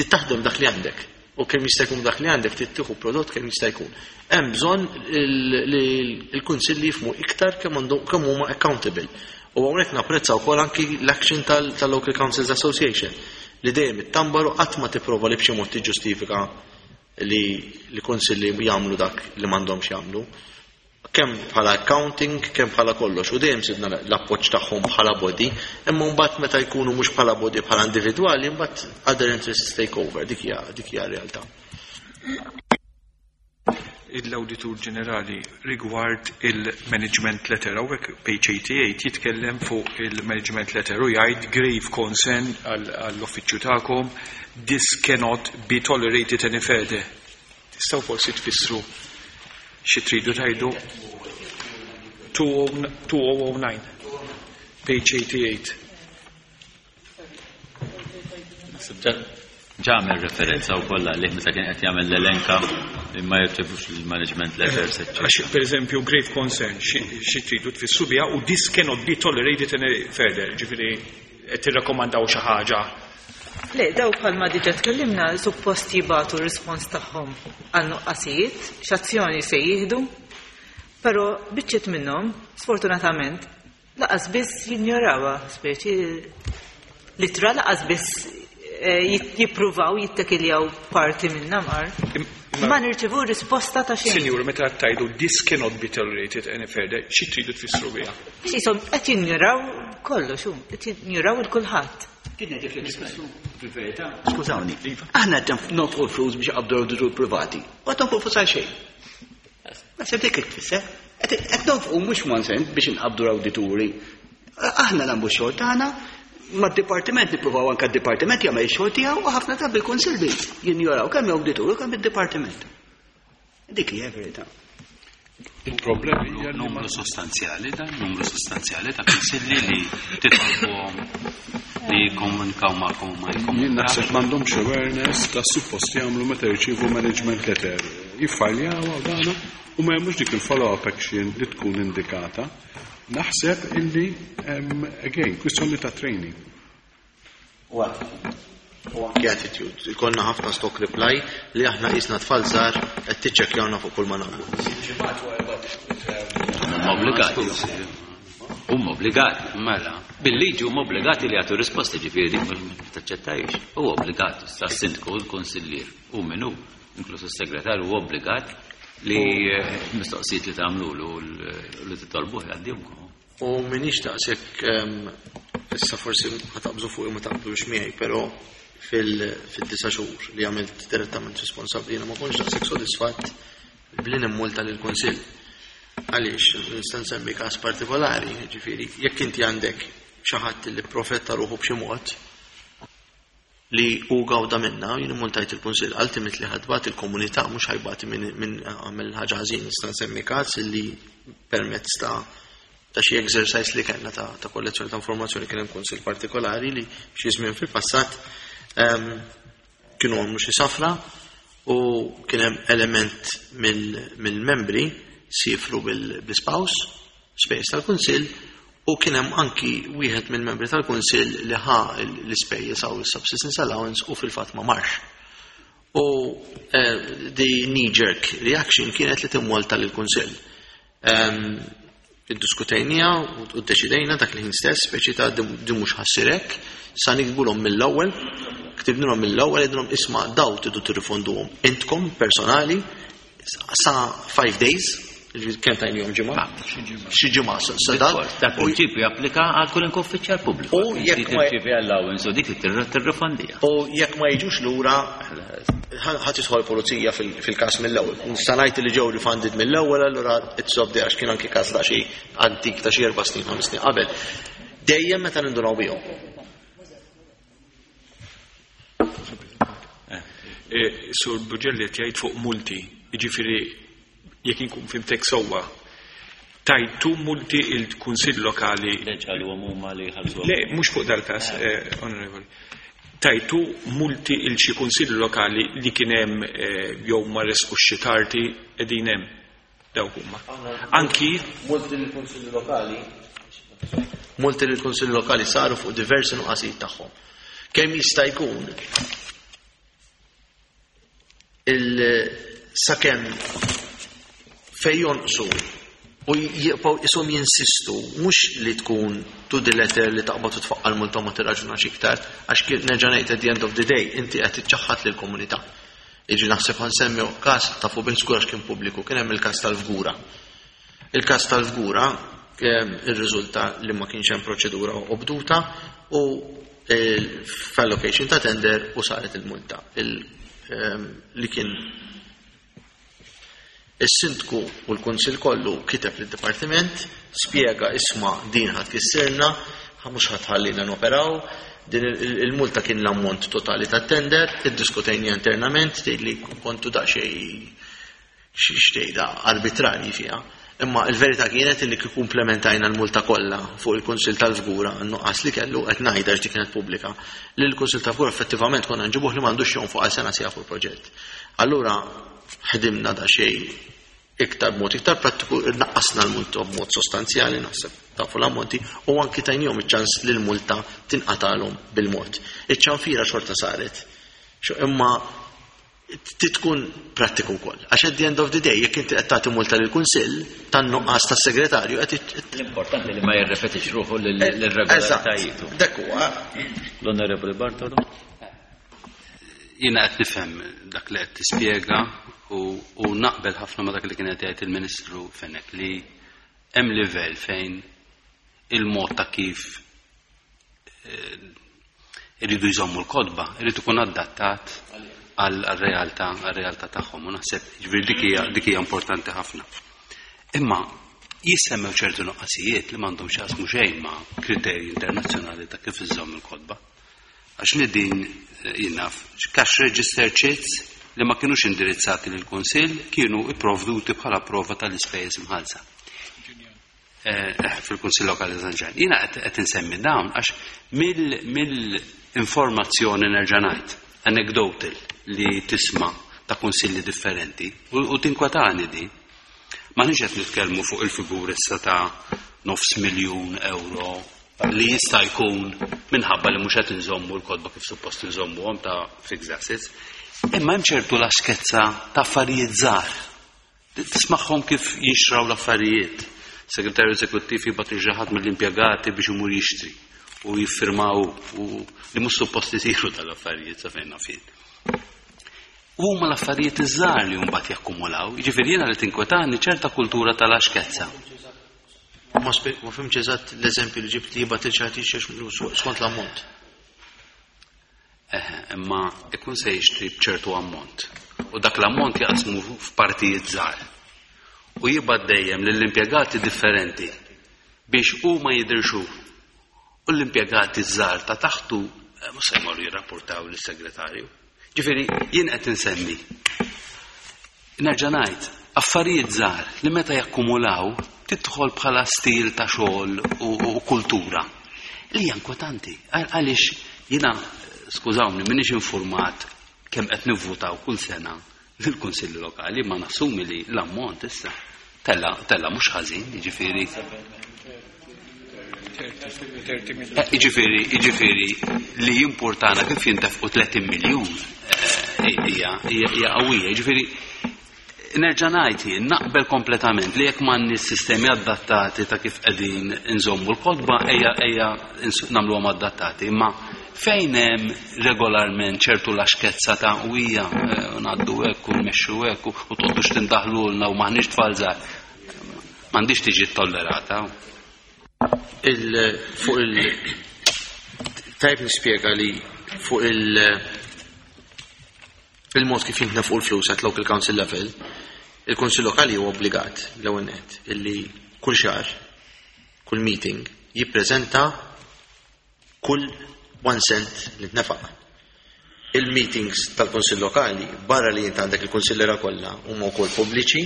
S7: taħdem dak li għandek u kemm jista' jkun dak li għandek tittieħu prodott kemm jista' jkun. Hemm bżonn li l-kunsilli jifhmu iktar kemm kemm huma accountable. U hawnhekk napprezza wkoll anki l-action tal-Local Councils Association li dejjem ittambaru, qatt ma tipprova li b'xi mod tiġġustifika li l-kunsilli jagħmlu dak li m'għandhomx jagħmlu. Kemm bħala accounting, kemm bħala kollox, u dejjem sibna l-appoġġ tagħhom bħala body, imma mbagħad meta jkunu mhux bħala body, bħala individwali, mbagħad other interests take over, dik hija dik hija realtà.
S8: L-Awditur Ġenerali rigward il-management letter, hawnhekk page eighty-eight jitkellem fuq il-management letter u jgħid "grave concern" għall-uffiċċju tagħkom, "this cannot be tolerated any further". Tistgħu forsi tfissru xi tridu tgħidu? two thousand nine, page eighty-eight.
S1: Ġa għamel referenza u kollha li meta kien qed jagħmel l-elenka li ma jirċevux il-management letters, eccetera.
S8: Għax, per eżempju, "grave concern", xi tridu tfissru biha u "this cannot be tolerated any further", ġifieri qed tirrakkomandaw xi ħaġa?
S4: Le, daw bħalma diġa tkellimna, suppost jibagħtu rispons tagħhom għal nuqqasijiet, x'azzjoni se jieħdu, però biċċiet minnhom, sfortunatament, lanqas biss jinjorawha, speċi litra lanqas biss eh, jippruvaw jittekiljaw parti minna mar. Ma nirċivu risposta ta' xejn.
S8: Sinjur, meta tgħidu "this cannot be tolerated any further", xi tridu tfissru biha?
S4: Jisom qed jinjoraw kollox, hu, qed jinjoraw il kulħadd.
S5: Kien dik li tfissru fil-verità. Skużawni, aħna qed nonfqu flus biex qabdu awditur privati. U qed nonfqu flus għal xejn. Naħseb dik tfisser. Qed nonfqu mhux one cent biex inqabdu l-awdituri. Aħna nagħmlu x-xogħol tagħna, mad-dipartiment nippruvaw, anke d-dipartiment jagħmel ix-xogħol tiegħu, u ħafna drabi il-kunsilli jinjoraw kemm awdituri kemm id-dipartiment. Dik hija verità.
S2: Il-problema hija li
S3: Numru sostanzjali dan, numru sostanzjali ta' kunsilli li titolbuhom li jikkomunikaw magħkom u ma
S2: Jien
S3: jikkomunikaw.
S2: naħseb m'għandhomx awareness ta' suppost jagħmlu meta jirċievu management letter. Jiffajljaw u dana u ma jagħmlux dik il-follow-up action li tkun indikata. Naħseb illi em, again, kwistjoni ta' training.
S7: U anki attitude. Ikollna ħafna stock reply li aħna qisna tfal żgħar qed tiċċekkjawna fuq kull ma nagħmlu.
S1: Huma obbligati. Huma obbligati.
S3: Mela.
S1: Bil-liġi huma obbligati li jagħtu risposta, ġifieri dik ma taċċettajx. Huwa obbligat, sa sindku, l-konsillier, u min hu, inkluż is-segretarju, huwa obbligat li eh, mistoqsijiet li tagħmlu li titolbuh jgħaddihomkom.
S7: U minix daqshekk em, issa forsi ħa taqbżu fuq ma taqblux miegħi, però fil-disa' xhur li għamilt direttament responsabbli jiena ma kontx daqshekk sodisfatt bli nimmulta lill-Kunsill. Għaliex, nista' nsemmi każ partikolari, ġifieri, jekk inti għandek xi ħadd li profetta ruħu b'xi mod li hu gawda minna, jien immultajt il-Kunsill, ultimately ħa tbati il-komunità, mhux ħa jbati minn min għamel ħaġa ħażin. Nista' nsemmi każ li permezz ta' ta' xi exercise li kellna ta', ta' kollezzjoni ta' informazzjoni kien hemm kunsill partikolari li xi żmien fil-passat em, kienu għamlu xi safra u kien hemm element mill-membri sifru bil-spouse spejjeż tal-kunsill u kien hemm anki wieħed mill-membri tal-kunsill li ħa l-ispejjeż għaw il-subsistence allowance u fil-fatt ma marx. U eh, the knee-jerk reaction kienet li timmulta lill-kunsill. Em, Iddiskutejnieha u ddeċidejna dak li ħin stess, speċi ta' di mhux ħa ssir hekk, sa niktbulhom mill-ewwel, ktibnilhom mill-ewwel, għednilhom, "Isma', daw tridu tirrifonduhom intkom personali sa five days." Kemm tajnihom ġimgħa? Xi ġimgħa.
S1: Dak prinċipju japplika għal kull uffiċjal pubbliku.
S7: U jekk ma
S1: tirċievi allowance u dik tirrifondija.
S7: U jekk ma jiġux lura ħadd tidħol pulizija fil-każ mill-ewwel. Nista' ngħid li ġew refunded mill-ewwel, allura it's off għax kien anki każ ta' xi antik ta' xi erba' snin, ħames snin qabel. Dejjem meta nindunaw bihom.
S8: Sur Bugelli qed jgħid fuq multi, jiġifieri jekk inkun fimtek sewwa, tajtu multi il-Kunsill Lokali. Le, mhux fuq dal-każ, onorevoli. Tajtu multi il xi Kunsill Lokali li kien hemm jew ma resqux xi tardi qegħdin hemm dawk huma. Anki
S7: multi lill-Kunsill Lokali, multi lill-Kunsill Lokali saru fuq diversi nuqqasijiet tagħhom. Kemm jista' jkun il sakemm fej jonqsu u jibqgħu ishom jinsistu mhux li tkun to the letter li taqbad u tfaqqal multa ma tirraġunax iktar, għax nerġa' ngħid at the end of the day inti qed tiċċaħħad lill-komunità. Jiġi naħseb ħansemmi każ tafu bih żgur għax kien pubbliku, kien hemm il-każ tal-Fgura. Il-każ tal-Fgura irriżulta li ma kienx hemm proċedura obduta u f'allocation ta' tender u saret il-multa li kien is-sindku u l-kunsill kollu kiteb lid-dipartiment, spjega isma' din ħadd kissirna, mhux ħadd ħallina noperaw, din il-multa kien l-ammont totali tat-tender, iddiskutejni internament, tgħid li kontu daqsxejn xtejda arbitrarji fiha. Imma il-verità kienet li kieku implementajna l-multa kollha fuq il-Kunsill tal-Fgura n-nuqqas li kellu qed ngħidha għax dik kienet pubblika, li l-Kunsill tal-Fgura effettivament konna nġibuh li m'għandux jonfoq għal sena sija fuq il-proġett. Allura ħdimna daqsxejn iktar b'mod iktar prattiku, naqqasna l-multa b'mod sostanzjali, naħseb tafu l-ammonti, u anki tajnihom iċ-ċans li l-multa tinqatalhom bil-mod. Iċ-ċanfira xorta saret. Imma tkun prattiku wkoll. Għax at the end of the day, jekk inti qed tagħti multa lill-Kunsill tan-nuqqas tas-segretarju qed
S1: L-importanti li ma jirrepetix ruħu l-irregolaritajiet.
S7: Dak huwa.
S1: L-Onorevoli Bartolo.
S3: Jiena qed nifhem dak li qed tispjega u naqbel ħafna ma dak li kien qed jgħid il-Ministru Fenech li hemm livell fejn il-mod ta' kif iridu jżommu l-kodba, irid ikun adattat għal-realtà għal-realtà tagħhom u naħseb ġifieri dik hija dik hija importanti ħafna. Imma jissemmew ċertu nuqqasijiet li m'għandhom x'jaqsmu xejn ma' kriterji internazzjonali ta' kif iżżomm il-kodba. Għax li din jien naf cash register chits li ma kienux indirizzati lill-Kunsill kienu ipprovduti bħala prova tal-ispejjeż imħallsa. Fil-Kunsill Lokali San Ġwann. Jiena qed insemmi dawn għax mill-informazzjoni nerġa' ngħid anecdotal li tisma' ta' kunsilli differenti u tinkwetani di. Ma nix qed nitkellmu fuq il-figur issa ta' nofs miljun euro li jista' jkun minħabba li mhux qed inżommu l-kodba kif suppost inżommuhom ta' fixed assets, imma hemm ċertu laxkezza ta' affarijiet żgħar. Tismagħhom kif jinxraw l-affarijiet. Segretarju eżekuttiv jibgħat lil xi ħadd mill-impjegati biex imur jixtri u jiffirmaw u li mhux suppost isiru tal-affarijiet sa fejn naf jien. Huma l-affarijiet iż-żgħar li mbagħad jakkumulaw, jiġifieri jiena li tinkwetani ċerta kultura tal-axkezza.
S7: Ma fhimx eżatt l-eżempju li ġibt li jibgħat il xi ħadd jixtri skont l-ammont.
S3: Eħe, imma ikun se jixtri b'ċertu ammont. U dak l-ammont jaqsmu f'partijiet żgħar. U jibgħat dejjem lill-impjegati differenti biex huma jidhirxu. U l-impjegati żgħar ta' taħtu mhux se jmorru jirrapportaw lis-segretarju. Ġifieri jien qed insemmi. Nerġa' ngħid, affarijiet żgħar li meta jakkumulaw tidħol bħala stil ta' xogħol u kultura. Li hija inkwetanti. Għaliex jiena, skużawni, m'iniex infurmat kemm qed nivvutaw kull sena lill-Kunsilli Lokali, ma nassumi li l-ammont issa tella tella mhux ħażin, jiġifieri. Jiġifieri, jiġifieri li jimpurtana kif jintefqu tletin miljun hija hija qawwija. Jiġifieri nerġa' ngħid jien naqbel kompletament li jekk m'għandniex sistemi adattati ta' kif qegħdin inżommu l-kodba ejja ejja nagħmluhom adattati, imma fejn hemm regolarment ċertu laxkezza ta' u hija ngħaddu hekk u nmexxu hekk u toqgħodux tindaħlulna u m'aħniex tfal żgħar. M'għandix tiġi tollerata.
S7: Il fuq il tajb nispjega li fuq il il-mod kif jintnefqu l-flus at local council level, il-Kunsill Lokali huwa obbligat l-ewwel nett illi kull xahar, kull meeting jippreżenta kull one cent li tnefaq. Il-meetings tal-Kunsill Lokali barra li jint għandek il-kunsillera kollha huma wkoll pubbliċi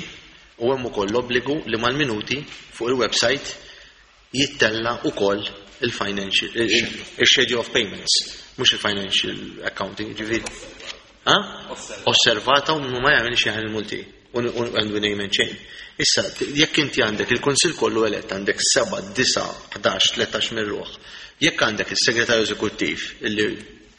S7: u hemm ukoll l-obbligu li mal-minuti fuq il-website jittella ukoll il-financial il-schedule of payments, mhux il-financial accounting, ġifieri. Ha? Osservata u ma jagħmel xi il-multi and we name and shame. Issa, jekk inti għandek il-Kunsill kollu elett għandek seba', disa', ħdax, tlettax minn ruħ, jekk għandek il-segretarju eżekuttiv illi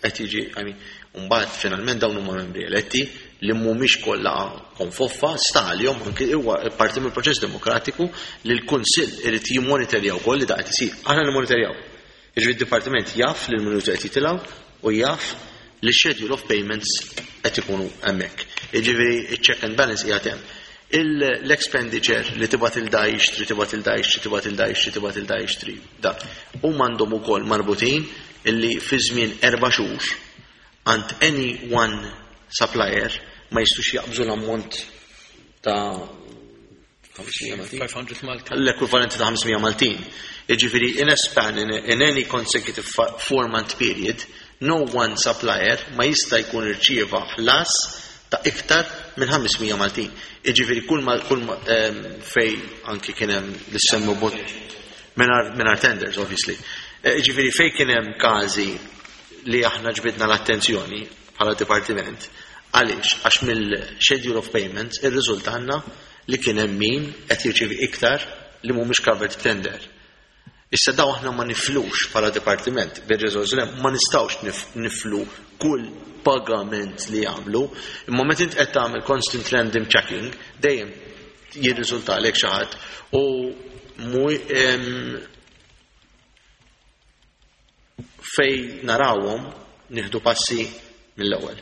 S7: qed jiġi, I mean, mbagħad finalment dawn huma membri eletti li mhumiex kollha konfoffa sta għalihom anke huwa parti mill-proċess demokratiku li l-Kunsill irid jimmonitorjaw ukoll li da qed isir. Aħna nimmonitorjaw. Jiġifieri d-dipartiment jaf li l-minuti qed jitilgħu u jaf li schedule of payments qed ikunu hemmhekk. Jiġifieri iċ-check and balance qiegħed hemm. L-expenditure li tibgħat lil da jixtri, tibgħat lil da jixtri, tibgħat lil da jixtri, tibgħat lil da jixtri, da. Huma għandhom ukoll marbutin illi fi żmien erba' xhur għand any one supplier ma jistux jaqbżu l-ammont ta' ħames mija Maltin.
S9: five hundred Maltin.
S7: L-ekwivalenti ta' ħames mija Maltin. Jiġifieri in a span, in, in any consecutive four month period, no one supplier ma jista' jkun irċieva ħlas ta' iktar minn ħames mija Maltin. Jiġifieri kull ma kull ma um, fej anki kien hemm li semmu bot mingħajr tenders, obviously. Jiġifieri fej kien hemm każi li aħna ġbidna l-attenzjoni bħala dipartiment, għaliex? Għax mill-schedule of payments irriżultanna li kien hemm min qed jirċievi iktar li mhumiex covered tender. Issa daw aħna ma niflux bħala dipartiment bir-riżorsi li ma nistgħux niflu kull pagament li jagħmlu. Imma meta int qed tagħmel constant random checking, dejjem jirriżultalek xi ħadd u em, fej narawhom nieħdu passi mill-ewwel.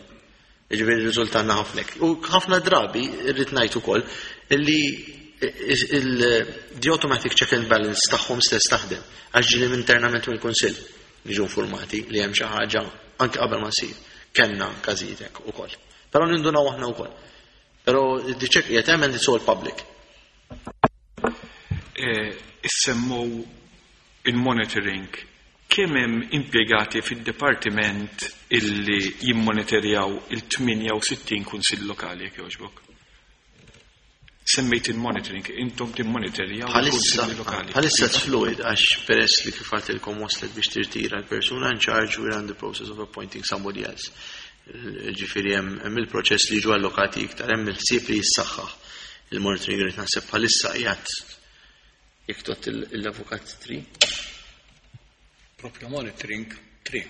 S7: Jiġifieri riżultanna ħafna. U ħafna drabi irrid ngħid ukoll illi the automatic check and balance tagħhom stess taħdem. Għax ġieli internament mill-Kunsill niġu informati li hemm xi ħaġa anke qabel ma ssir. Kellna każijiet hekk ukoll. Però nindunaw aħna wkoll. Però the check qiegħed hemm and it's all public.
S8: Issemmu il-monitoring. Kemm hemm impjegati fid-dipartiment illi jimmonitorjaw il-tmienja u sittin kunsill lokali, jekk jogħġbok? Semmejt il-monitoring, intom timmonitorjaw il-kunsilli lokali.
S7: Bħalissa it's fluid għax peress li kif għedtilkom waslet biex tirtira l-persuna in charge, we're in the process of appointing somebody else. Ġifieri hemm il-proċess li ġu allokati iktar, hemm il-ħsieb li jissaħħaħ. Il-monitoring rrid naħseb bħalissa qiegħed jekk tot l-avukat tri.
S9: Proprio monitoring tri.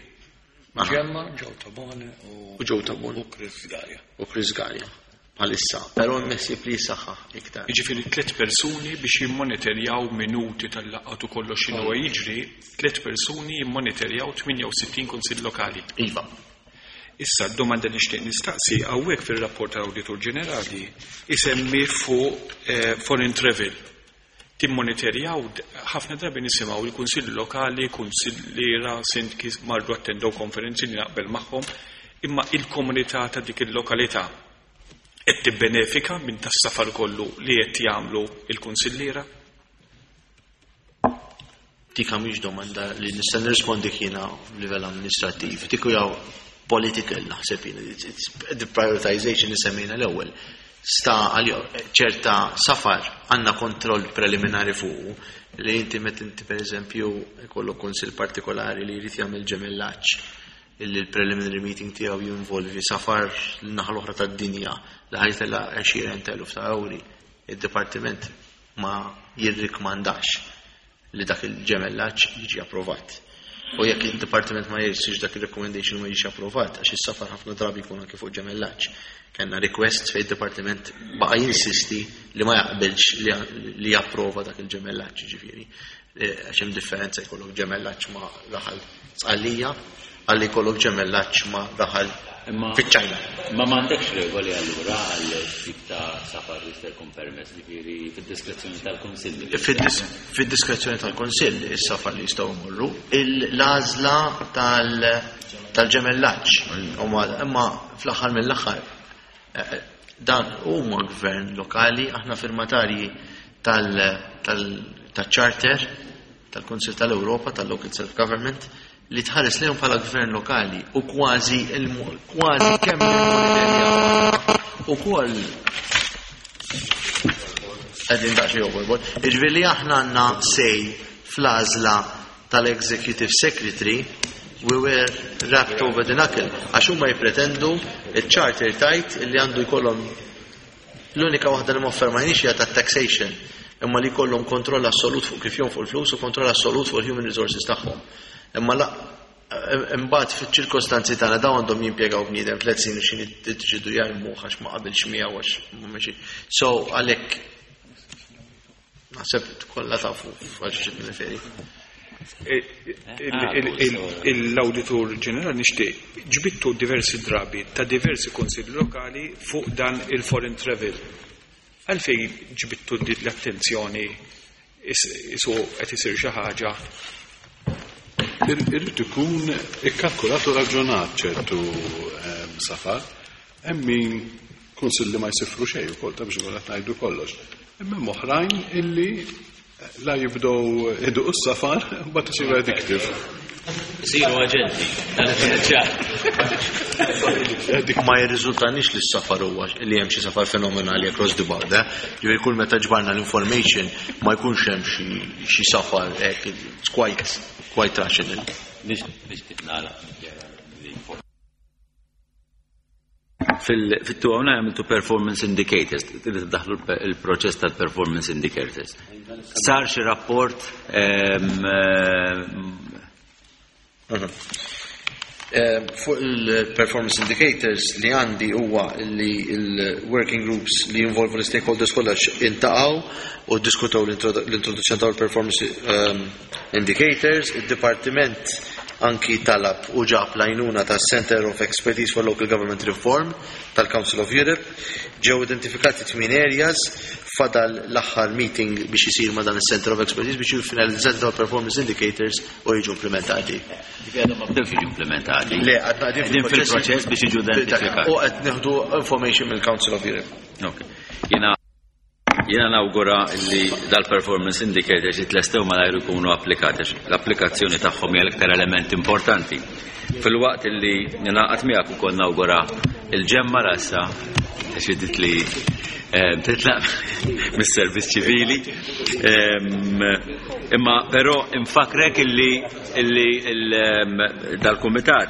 S9: Ġemma, Joe Tabone u
S7: U Joe Tabone.
S9: U Chris Gallia.
S7: U Chris Gallia. Bħalissa, però hemm ħsieb li jissaħħaħ iktar.
S8: Jiġifieri tliet persuni biex jimmonitorjaw minuti tal-laqgħat u kollox x'inhu jiġri, tliet persuni jimmonitorjaw tmienja u sittin kunsill lokali.
S7: Iva.
S8: Issa d-domanda li nixtieq nistaqsi, hawnhekk fir-rapport tal-Awditur Ġenerali isemmi fuq eh, foreign travel. Timmonitorjaw, ħafna drabi nisimgħu il-kunsilli lokali, kunsilliera, sindki marru attendew konferenzi li naqbel magħhom, imma il-komunità ta' dik il-lokalità qed tibbenefika minn tas-safar kollu li qed jagħmlu il-kunsilliera?
S7: Dik mhix domanda li nista' nirrispondi jiena livell amministrattiv. Dik hija political naħseb jiena. It's the prioritization li semmejna l-ewwel. Sta għal ċerta safar għandna kontroll preliminari fuq li inti met inti per eżempju jkollok kunsill partikolari li jrid jagħmel ġemellaġġ illi l-preliminary meeting tiegħu jinvolvi safar l-naħa l-oħra tad-dinja li ħa jtella' għexieren t'eluf ta' euri. Il-dipartiment ma jirrikmandax li dak il-ġemellaġġ jiġi approvat. U jekk il-dipartiment ma jirsix dak il-recommendation ma jiġi approvat, għax is-safar ħafna drabi jkun anke fuq ġemellaġġ. Kellna request fejn il-dipartiment baqa' jinsisti li ma jaqbilx li japprova dak il-ġemellaġġ, ġifieri. Għax hemm differenza jkollok ġemellaġġ ma' raħal Sqallija għalli jkollok ġemellaġġ ma' raħal fiċ-Ċajna.
S1: Ma m'għandekx regoli allura għal tip ta' safar li jista' jkun permess, ġifieri fid-diskrezzjoni tal-Kunsill.
S7: Fid-diskrezzjoni tal-Kunsill is-safar li jistgħu jmorru, l-għażla tal-ġemellaġġ. Imma fl-aħħar mill-aħħar dan huma gvern lokali, aħna firmatarji tal-charter tal-Kunsill tal-Ewropa tal-Local Self-Government li tħares lejhom bħala gvern lokali u kważi kważi kemm ukoll qegħdin daqsxejn overboard. Jiġifieri li aħna għandna say fl-għażla tal-Executive Secretary, we were rapped over the knuckle għax huma jippretendu il-charter tajt li għandu jkollhom l-unika waħda li ma affermajniex hija tat-taxation, imma li jkollhom kontroll assolut fuq kif jonfqu l-flus u kontroll assolut fuq il-human resources tagħhom. Imma la imbagħad fiċ-ċirkostanzi tagħna dawn għandhom jimpjegaw bniedem tliet snin u xi tiddeċidu jarmuh għax ma qabilx miegħu għax ma mexi. So għalhekk naħseb kollha tafu għal xi nirreferi.
S8: L-Awditur Ġenerali nixtieq ġbittu diversi drabi ta' diversi kunsilli lokali fuq dan il-foreign travel. Għalfejn ġbittu l-attenzjoni isu qed isir xi ħaġa?
S2: Irrid ikun ikkalkulat u raġunat ċertu safar. Hemm min kunsilli ma jsifru xejn ukoll ta' biex ikun qed ngħidu kollox. Imma hemm oħrajn illi la jibdew iduqu s-safar mbagħad isiru addictive.
S1: Isiru aġenti.
S7: Ma jirriżultanix li s-safar huwa li hemm xi safar fenomenali across the board. Ġifieri kull meta ġbarna l-information ma jkunx hemm xi safar hekk, it's quite quite rational.
S1: Nixtieq nagħlaq. Fil-two oh nine għamiltu performance indicators, trid daħlu il-proċess tal-performance indicators. Sar xi rapport ehm,
S7: ehm, Fuq il-performance indicators li għandi huwa li il-working groups li jinvolvu l-stakeholders kollha intaqgħu u diskutaw l-introduzzjoni tal-performance ehm, indicators. Il-dipartiment anki talab u ġab l-għajnuna ta' Center of Expertise for Local Government Reform tal-Council of Europe. Ġew identifikati tmien areas, fadal l-aħħar meeting biex isir ma' dan il-Center of Expertise biex jifinalizzati tal-performance indicators u jiġu implementati.
S1: Ġifieri għadhom ma bdewx jiġu implementati.
S7: Le, għadna
S1: qegħdin fil-proċess biex jiġu identifikati.
S7: U qed nieħdu information mill-Council of Europe.
S1: Ok. Jiena Jiena nawgura li dal-performance indicators jitlestew malajr ikunu applikati. L-applikazzjoni tagħhom hija l-iktar element importanti. Fil-waqt li ningħaqad miegħek ukoll nawgura il-ġemma rassa deċidiet li eh, titlaq mis-servizz ċivili. Em, Imma però infakrek illi illi il- em, dal-kumitat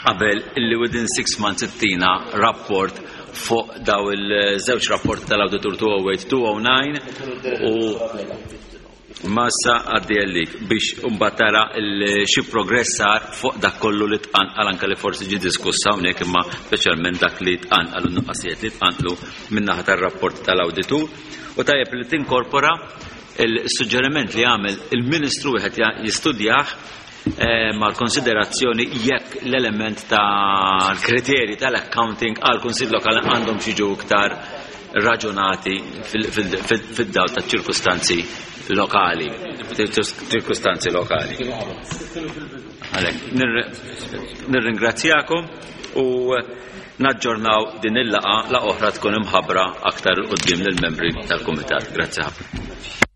S1: qabel illi within six months ittina rapport fuq daw il-żewġ rapporti tal-Auditur two oh eight two oh nine u massa għaddi għallik biex mbagħad tara xi progress sar fuq dak kollu li tqanqal, anke li forsi ġi diskussa hawnhekk, imma speċjalment dak li tqanqal u nuqqasijiet li tqanqlu min-naħa tar-rapport tal-awditur, u tajjeb li tinkorpora il-suġġeriment li għamel il-Ministru, wieħed jistudjah eh, mal-konsiderazzjoni jekk l-element tal-kriterji tal-accounting għal kunsill lokali għandhom jiġu iktar raġunati fid-dawl ta' ċirkustanzi lokali. Ċirkustanzi lokali. Għalhekk, nirringrazzjakom u naġġornaw din il-laqgħa, la oħra tkun imħabbra aktar quddiem lill-membri tal-Kumitat. Grazzi ħafna.